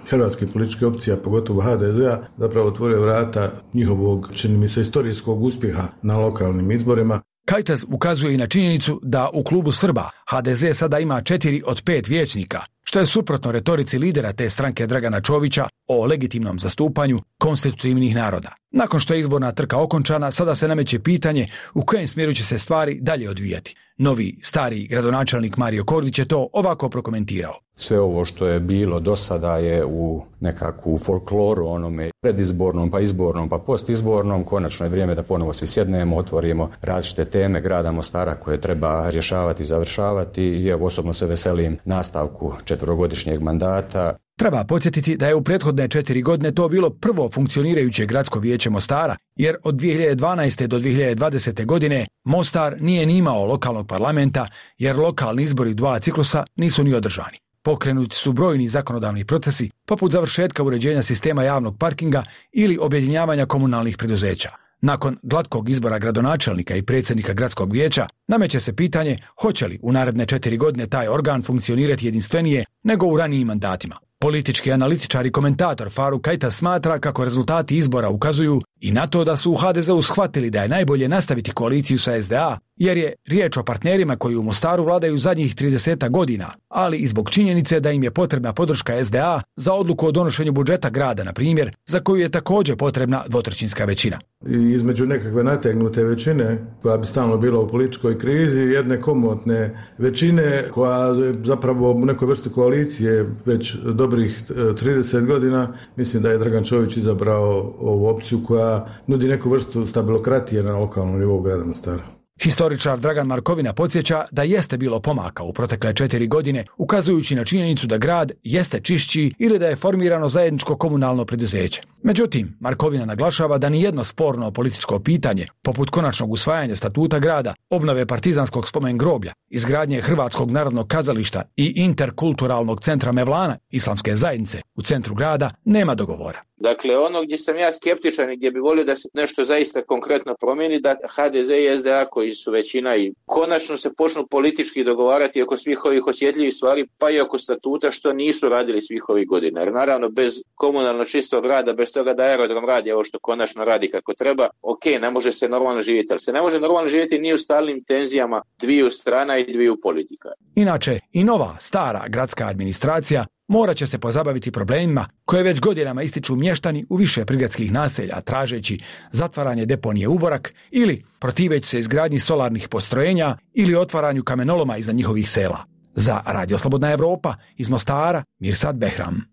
hrvatskih političkih opcija, pogotovo HDZ-a, zapravo otvorio vrata njihovog, čini mi se, istorijskog uspjeha na lokalnim izborima. Kajtas ukazuje i na činjenicu da u klubu Srba HDZ sada ima 4 od 5 vijećnika, što je suprotno retorici lidera te stranke Dragana Čovića o legitimnom zastupanju konstitutivnih naroda. Nakon što je izborna trka okončana, sada se nameće pitanje u kojem smjeru će se stvari dalje odvijati. Novi, stari gradonačelnik Mario Kordić je to ovako prokomentirao. Sve ovo što je bilo do sada je u nekakvu folkloru, onome predizbornom, pa izbornom, pa postizbornom. Konačno je vrijeme da ponovo svi sjednemo, otvorimo različite teme grada Mostara koje treba rješavati i završavati i evo osobno se veselim nastavku 4-godišnjeg mandata. Treba podsjetiti da je u prethodne 4 godine to bilo prvo funkcionirajuće gradsko vijeće Mostara, jer od 2012. do 2020. godine Mostar nije ni imao lokalnog parlamenta, jer lokalni izbori 2 ciklusa nisu ni održani. Pokrenuti su brojni zakonodavni procesi, poput završetka uređenja sistema javnog parkinga ili objedinjavanja komunalnih preduzeća. Nakon glatkog izbora gradonačelnika i predsjednika gradskog vijeća, nameće se pitanje hoće li u naredne 4 godine taj organ funkcionirati jedinstvenije nego u ranijim mandatima. Politički analitičar i komentator Faruk Kajtas smatra kako rezultati izbora ukazuju i na to da su u HDZ-u shvatili da je najbolje nastaviti koaliciju sa SDA, jer je riječ o partnerima koji u Mostaru vladaju zadnjih 30 godina, ali i zbog činjenice da im je potrebna podrška SDA za odluku o donošenju budžeta grada, na primjer, za koju je također potrebna 2/3 većina. I između nekakve nategnute većine, koja bi stalno bila u političkoj krizi, jedne komotne većine, koja je zapravo u nekoj vrsti koalicije već dobrih 30 godina, mislim da je Dragan Čović izabrao ovu opciju koja nudi neku vrstu stabilokratije na lokalnom nivou grada Mostara. Historičar Dragan Markovina podsjeća da jeste bilo pomaka u protekle 4 godine, ukazujući na činjenicu da grad jeste čišći ili da je formirano zajedničko komunalno preduzeće. Međutim, Markovina naglašava da nijedno sporno političko pitanje, poput konačnog usvajanja statuta grada, obnove partizanskog spomen groblja, izgradnje Hrvatskog narodnog kazališta i interkulturalnog centra Mevlana islamske zajednice u centru grada, nema dogovora. Dakle, ono gdje sam ja skeptičan i gdje bi volio da se nešto zaista konkretno promijeni, da HDZ i SDA koji su većina i konačno se počnu politički dogovarati oko svih ovih osjetljivih stvari, pa i oko statuta, što nisu radili svih ovih godina. Jer naravno bez komunalno čistog rada, bez toga da aerodrom radi ovo što konačno radi kako treba, ok, ne može se normalno živjeti, ali se ne može normalno živjeti ni u stalnim tenzijama dviju strana i dviju politika. Inače, i nova, stara gradska administracija morat će se pozabaviti problemima koje već godinama ističu mještani u više prigradskih naselja, tražeći zatvaranje deponije Uborak ili protiveći se izgradnji solarnih postrojenja ili otvaranju kamenoloma iznad njihovih sela. Za Radio Slobodna Evropa iz Mostara, Mirsad Behram.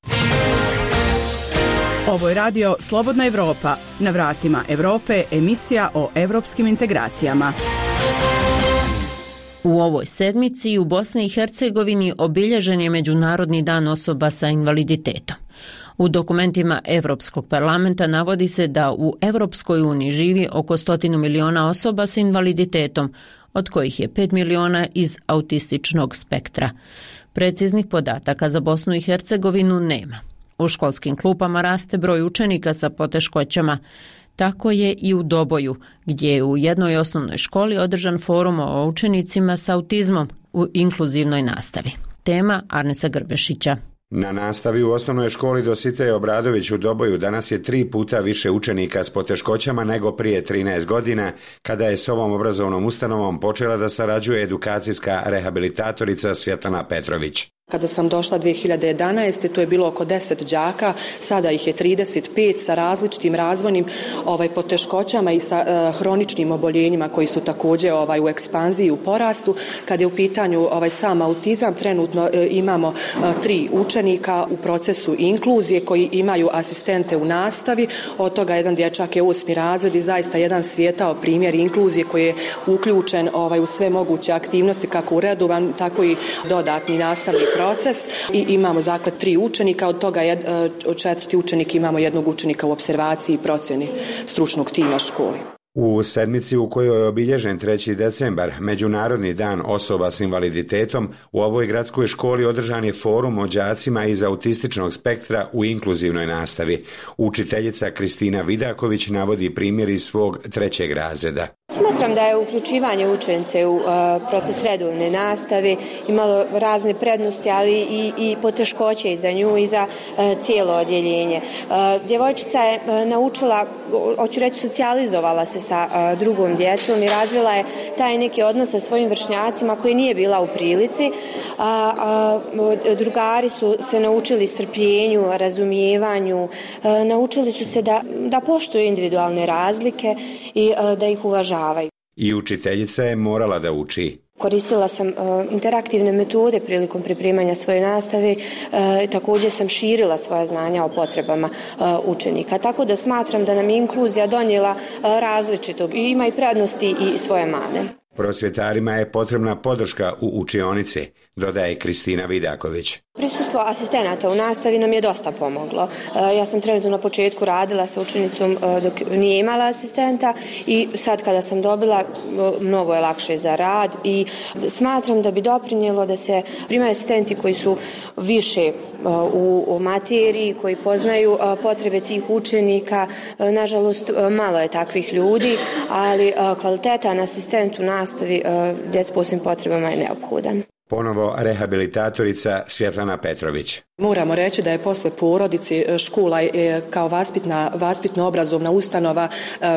Ovo je Radio Slobodna Evropa. Na vratima Evrope emisija o evropskim integracijama. U ovoj sedmici u Bosni i Hercegovini obilježen je Međunarodni dan osoba sa invaliditetom. U dokumentima Europskog parlamenta navodi se da u Europskoj uniji živi oko 100 miliona osoba sa invaliditetom, od kojih je 5 miliona iz autističnog spektra. Preciznih podataka za Bosnu i Hercegovinu nema. U školskim klupama raste broj učenika sa poteškoćama. Tako je i u Doboju, gdje je u jednoj osnovnoj školi održan forum o učenicima s autizmom u inkluzivnoj nastavi. Tema Arnesa Grbešića. Na nastavi u osnovnoj školi Dositej Obradović u Doboju danas je 3 puta više učenika s poteškoćama nego prije 13 godina, kada je s ovom obrazovnom ustanovom počela da sarađuje edukacijska rehabilitatorica Svjetlana Petrović. Kada sam došla 2011. to je bilo oko 10 đaka, sada ih je 35 sa različitim razvojnim poteškoćama i sa hroničnim oboljenjima koji su također u ekspanziji, u porastu. Kada je u pitanju sam autizam, trenutno imamo 3 učenika u procesu inkluzije koji imaju asistente u nastavi. Od toga jedan dječak je 8. razred i zaista jedan svijetao primjer inkluzije koji je uključen u sve moguće aktivnosti, kako u redovan, tako i dodatni nastavni proces proces i imamo dakle 3 učenika, od toga 4. učenik imamo jednog učenika u opservaciji i procjeni stručnog tima škole. U sedmici u kojoj je obilježen 3. decembar, Međunarodni dan osoba s invaliditetom, u ovoj gradskoj školi održan je forum o đacima iz autističnog spektra u inkluzivnoj nastavi. Učiteljica Kristina Vidaković navodi primjer iz svog 3. razreda. Smatram da je uključivanje učenice u proces redovne nastave imalo razne prednosti, ali i poteškoće i za nju i za cijelo odjeljenje. Djevojčica je naučila, hoću reći, socijalizovala se sa drugom djecom i razvila je taj neki odnos sa svojim vršnjacima koji nije bila u prilici. Drugari su se naučili strpljenju, razumijevanju, naučili su se da poštuju individualne razlike i da ih uvažavaju. I učiteljica je morala da uči. Koristila sam interaktivne metode prilikom pripremanja svoje nastave, također sam širila svoja znanja o potrebama učenika. Tako da smatram da nam je inkluzija donijela različitog i ima i prednosti i svoje mane. Prosvjetarima je potrebna podrška u učionici, dodaje Kristina Vidaković. Prisustvo asistenata u nastavi nam je dosta pomoglo. Ja sam trenutno na početku radila sa učenicom dok nije imala asistenta i sad kada sam dobila, mnogo je lakše za rad i smatram da bi doprinijelo da se primaju asistenti koji su više u materiji, koji poznaju potrebe tih učenika. Nažalost, malo je takvih ljudi, ali kvalitetan asistent u nastavi djece s posebnim potrebama je neophodan. Ponovo rehabilitatorica Svjetlana Petrović. Moramo reći da je posle porodice škola kao vaspitno-obrazovna ustanova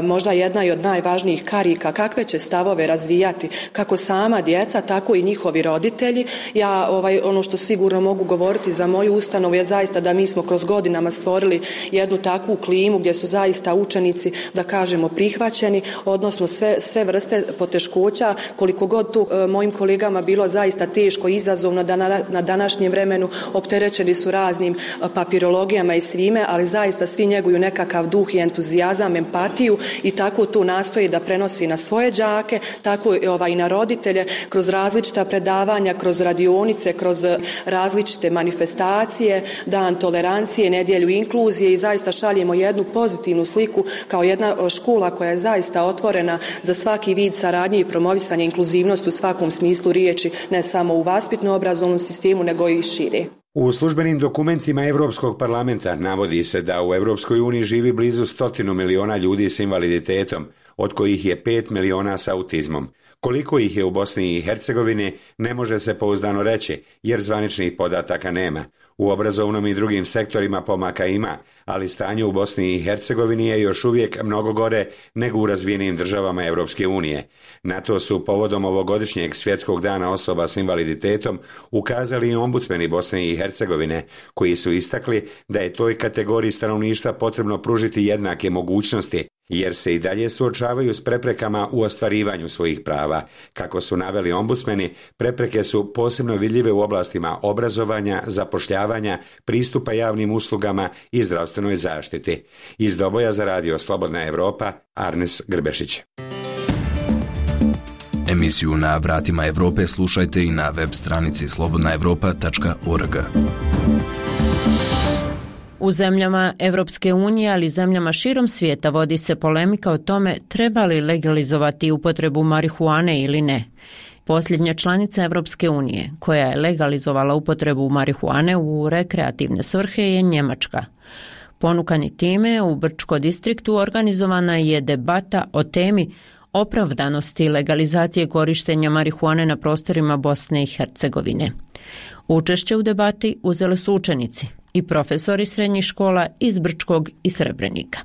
možda jedna i od najvažnijih karika kakve će stavove razvijati kako sama djeca, tako i njihovi roditelji. Ja ono što sigurno mogu govoriti za moju ustanovu je zaista da mi smo kroz godinama stvorili jednu takvu klimu gdje su zaista učenici, da kažemo, prihvaćeni, odnosno sve vrste poteškoća, koliko god tu mojim kolegama bilo zaista teško i izazovno da na današnjem vremenu opterećeni su raznim papirologijama i svime, ali zaista svi njeguju nekakav duh i entuzijazam, empatiju i tako to nastoji da prenosi na svoje đake, tako i na roditelje kroz različita predavanja, kroz radionice, kroz različite manifestacije, dan tolerancije, nedjelju inkluzije i zaista šaljemo jednu pozitivnu sliku kao jedna škola koja je zaista otvorena za svaki vid saradnje i promovisanje inkluzivnosti u svakom smislu riječi, ne samo u vaspitno-obrazovnom sistemu, nego i šire. U službenim dokumentima Europskog parlamenta navodi se da u Europskoj uniji živi blizu 100 miliona ljudi s invaliditetom, od kojih je 5 miliona s autizmom. Koliko ih je u Bosni i Hercegovini ne može se pouzdano reći, jer zvaničnih podataka nema. U obrazovnom i drugim sektorima pomaka ima, ali stanje u Bosni i Hercegovini je još uvijek mnogo gore nego u razvijenim državama Europske unije. Na to su povodom ovogodišnjeg svjetskog dana osoba s invaliditetom ukazali i ombudsmeni Bosne i Hercegovine, koji su istakli da je toj kategoriji stanovništva potrebno pružiti jednake mogućnosti, jer se i dalje suočavaju s preprekama u ostvarivanju svojih prava. Kako su naveli ombudsmeni, prepreke su posebno vidljive u oblastima obrazovanja, zapošljavanja, pristupa javnim uslugama i zdravstvenoj zaštiti. Iz Doboja za radio Slobodna Evropa, Arnes Grbešić. Emisiju Na vratima Evrope slušajte i na web stranici slobodnaevropa.org. U zemljama Evropske unije, ali i zemljama širom svijeta vodi se polemika o tome treba li legalizovati upotrebu marihuane ili ne. Posljednja članica Evropske unije koja je legalizovala upotrebu marihuane u rekreativne svrhe je Njemačka. Ponukani time, u Brčko distriktu organizovana je debata o temi opravdanosti legalizacije korištenja marihuane na prostorima Bosne i Hercegovine. Učešće u debati uzeli su učenici i profesori srednjih škola iz Brčkog i Srebrenika.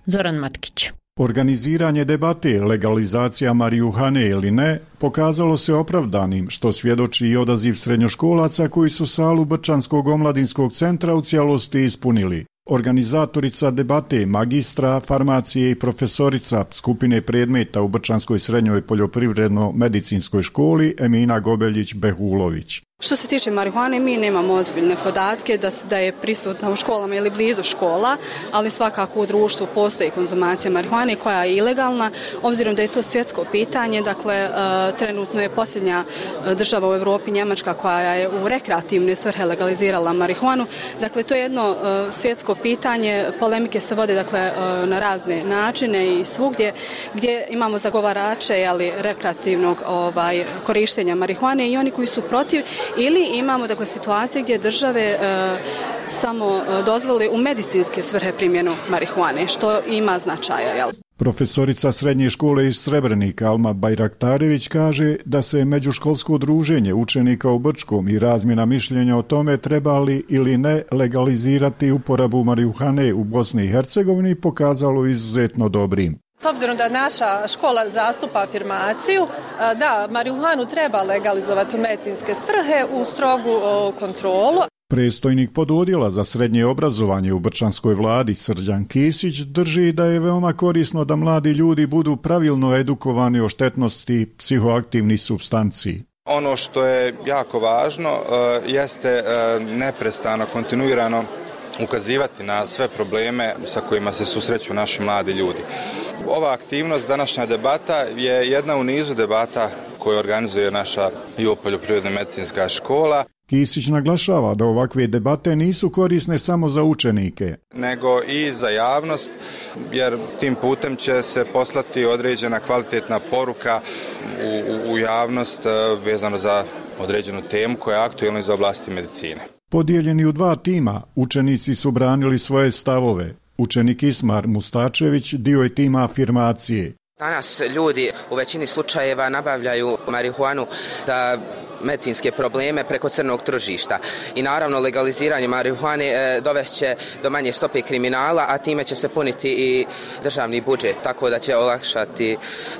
Zoran Matkić. Organiziranje debate legalizacija marihuane ili ne pokazalo se opravdanim, što svjedoči i odaziv srednjoškolaca koji su salu Brčanskog omladinskog centra u cijelosti ispunili. Organizatorica debate, magistra farmacije i profesorica skupine predmeta u Brčanskoj srednjoj poljoprivredno-medicinskoj školi Emina Gobeljić-Behulović. Što se tiče marihuane, mi nemamo ozbiljne podatke da je prisutna u školama ili blizu škola, ali svakako u društvu postoji konzumacija marihuane koja je ilegalna, obzirom da je to svjetsko pitanje. Dakle, trenutno je posljednja država u Europi, Njemačka, koja je u rekreativne svrhe legalizirala marihuanu. Dakle, to je jedno svjetsko pitanje, polemike se vode na razne načine i svugdje gdje imamo zagovarače rekreativnog korištenja marihuane i oni koji su protiv. Ili imamo situacije gdje države samo dozvole u medicinske svrhe primjenu marihuane, što ima značaja. Profesorica srednje škole iz Srebrenika Alma Bajraktarević kaže da se međuškolsko druženje učenika u Brčkom i razmjena mišljenja o tome treba li ili ne legalizirati uporabu marihuane u Bosni i Hercegovini pokazalo izuzetno dobrim. S obzirom da naša škola zastupa afirmaciju, da, marihuanu treba legalizovati u medicinske svrhe u strogu kontrolu. Predstojnik pododjela za srednje obrazovanje u brčanskoj vladi Srđan Kisić drži da je veoma korisno da mladi ljudi budu pravilno edukovani o štetnosti psihoaktivnih supstanci. Ono što je jako važno jeste neprestano, kontinuirano ukazivati na sve probleme sa kojima se susreću naši mladi ljudi. Ova aktivnost, današnja debata, je jedna u nizu debata koju organizuje naša poljoprivredna medicinska škola. Kisić naglašava da ovakve debate nisu korisne samo za učenike, nego i za javnost, jer tim putem će se poslati određena kvalitetna poruka u javnost vezano za određenu temu koja je aktualna iz oblasti medicine. Podijeljeni u dva tima, učenici su branili svoje stavove. Učenik Ismar Mustačević dio je tima afirmacije. Danas ljudi u većini slučajeva nabavljaju marihuanu za medicinske probleme preko crnog tržišta i naravno legaliziranje marihuane dovešće do manje stope kriminala, a time će se puniti i državni budžet, tako da će olakšati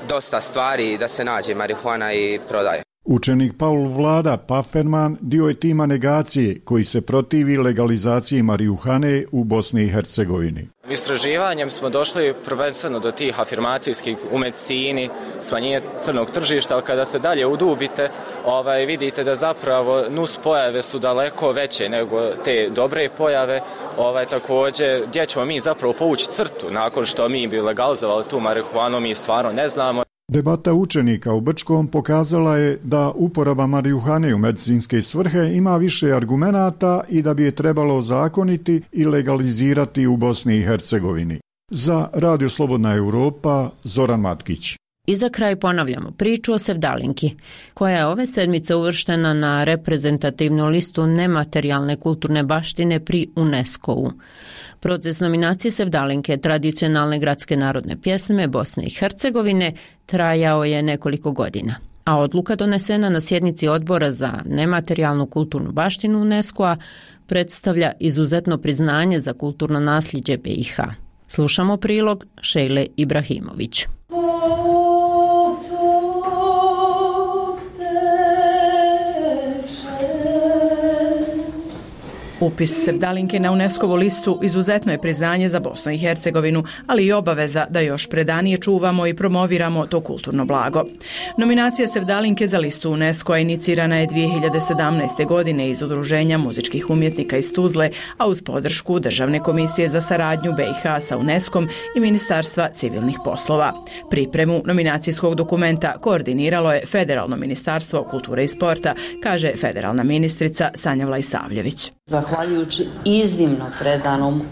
dosta stvari da se nađe marihuana i prodaje. Učenik Paul Vlada Paferman dio je tima negacije koji se protivi legalizaciji marihuane u Bosni i Hercegovini. Istraživanjem smo došli prvenstveno do tih afirmacijskih u medicini, smanjenje crnog tržišta, ali kada se dalje udubite, vidite da zapravo nus pojave su daleko veće nego te dobre pojave. Također, gdje ćemo mi zapravo povući crtu nakon što mi bi legalizovali tu marihuanu, mi stvarno ne znamo. Debata učenika u Brčkom pokazala je da uporaba marihuane u medicinske svrhe ima više argumenata i da bi je trebalo ozakoniti i legalizirati u Bosni i Hercegovini. Za Radio Slobodna Europa, Zoran Matkić. I za kraj ponavljamo priču o Sevdalinki, koja je ove sedmice uvrštena na reprezentativnu listu nematerijalne kulturne baštine pri UNESCO-u. Proces nominacije Sevdalinke, tradicionalne gradske narodne pjesme Bosne i Hercegovine, trajao je nekoliko godina, a odluka donesena na sjednici odbora za nematerijalnu kulturnu baštinu UNESCO-a predstavlja izuzetno priznanje za kulturno nasljeđe BiH. Slušamo prilog Šejle Ibrahimović. Upis Sevdalinke na UNESCO-vu listu izuzetno je priznanje za Bosnu i Hercegovinu, ali i obaveza da još predanije čuvamo i promoviramo to kulturno blago. Nominacija Sevdalinke za listu UNESCO-a inicirana je 2017. godine iz Udruženja muzičkih umjetnika iz Tuzle, a uz podršku Državne komisije za saradnju BiH sa UNESCO-om i Ministarstva civilnih poslova. Pripremu nominacijskog dokumenta koordiniralo je Federalno ministarstvo kulture i sporta, kaže federalna ministrica Sanja Vlajsavljević. Zahvaljujući iznimno predanom,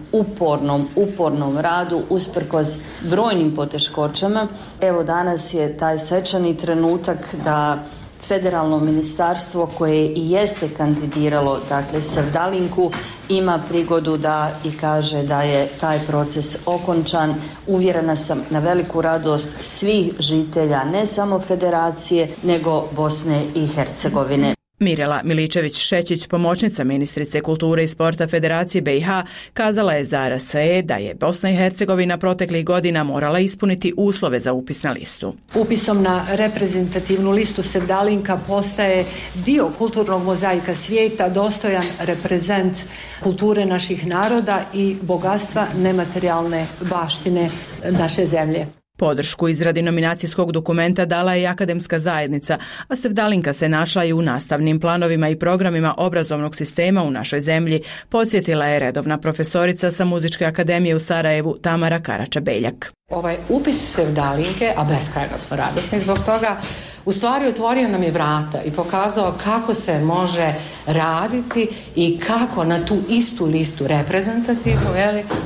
upornom radu usprkos brojnim poteškoćama, evo danas je taj svečani trenutak da Federalno ministarstvo koje i jeste kandidiralo Sevdalinku ima prigodu da i kaže da je taj proces okončan. Uvjerena sam na veliku radost svih žitelja ne samo Federacije nego Bosne i Hercegovine. Mirela Miličević-Šećić, pomoćnica ministrice kulture i sporta Federacije BiH, kazala je za RSE da je Bosna i Hercegovina proteklih godina morala ispuniti uslove za upis na listu. Upisom na reprezentativnu listu Sevdalinka postaje dio kulturnog mozaika svijeta, dostojan reprezent kulture naših naroda i bogatstva nematerijalne baštine naše zemlje. Podršku izradi nominacijskog dokumenta dala je i akademska zajednica, a Sevdalinka se našla i u nastavnim planovima i programima obrazovnog sistema u našoj zemlji, podsjetila je redovna profesorica sa Muzičke akademije u Sarajevu Tamara Karača-Beljak. Ovaj upis Sevdalinke, a beskrajno smo radosni zbog toga, u stvari otvorio nam je vrata i pokazao kako se može raditi i kako na tu istu listu reprezentativnu,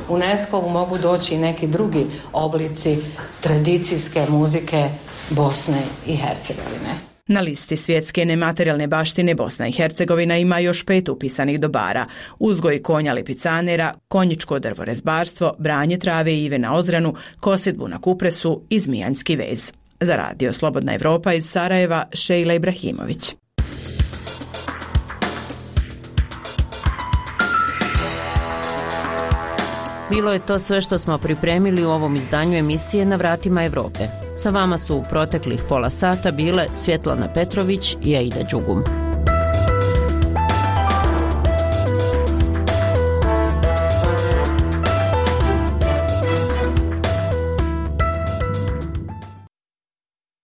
UNESCO-vu mogu doći i neki drugi oblici tradicijske muzike Bosne i Hercegovine. Na listi svjetske nematerijalne baštine Bosna i Hercegovina ima još 5 upisanih dobara: uzgoj konja lipicanera, konjičko drvorezbarstvo, branje trave i ive na Ozranu, kosidbu na Kupresu i zmijanjski vez. Za radio Slobodna Evropa iz Sarajeva, Šejla Ibrahimović. Bilo je to sve što smo pripremili u ovom izdanju emisije Na vratima Evrope. Sa vama su u proteklih pola sata bile Svjetlana Petrović i Aida Đugum.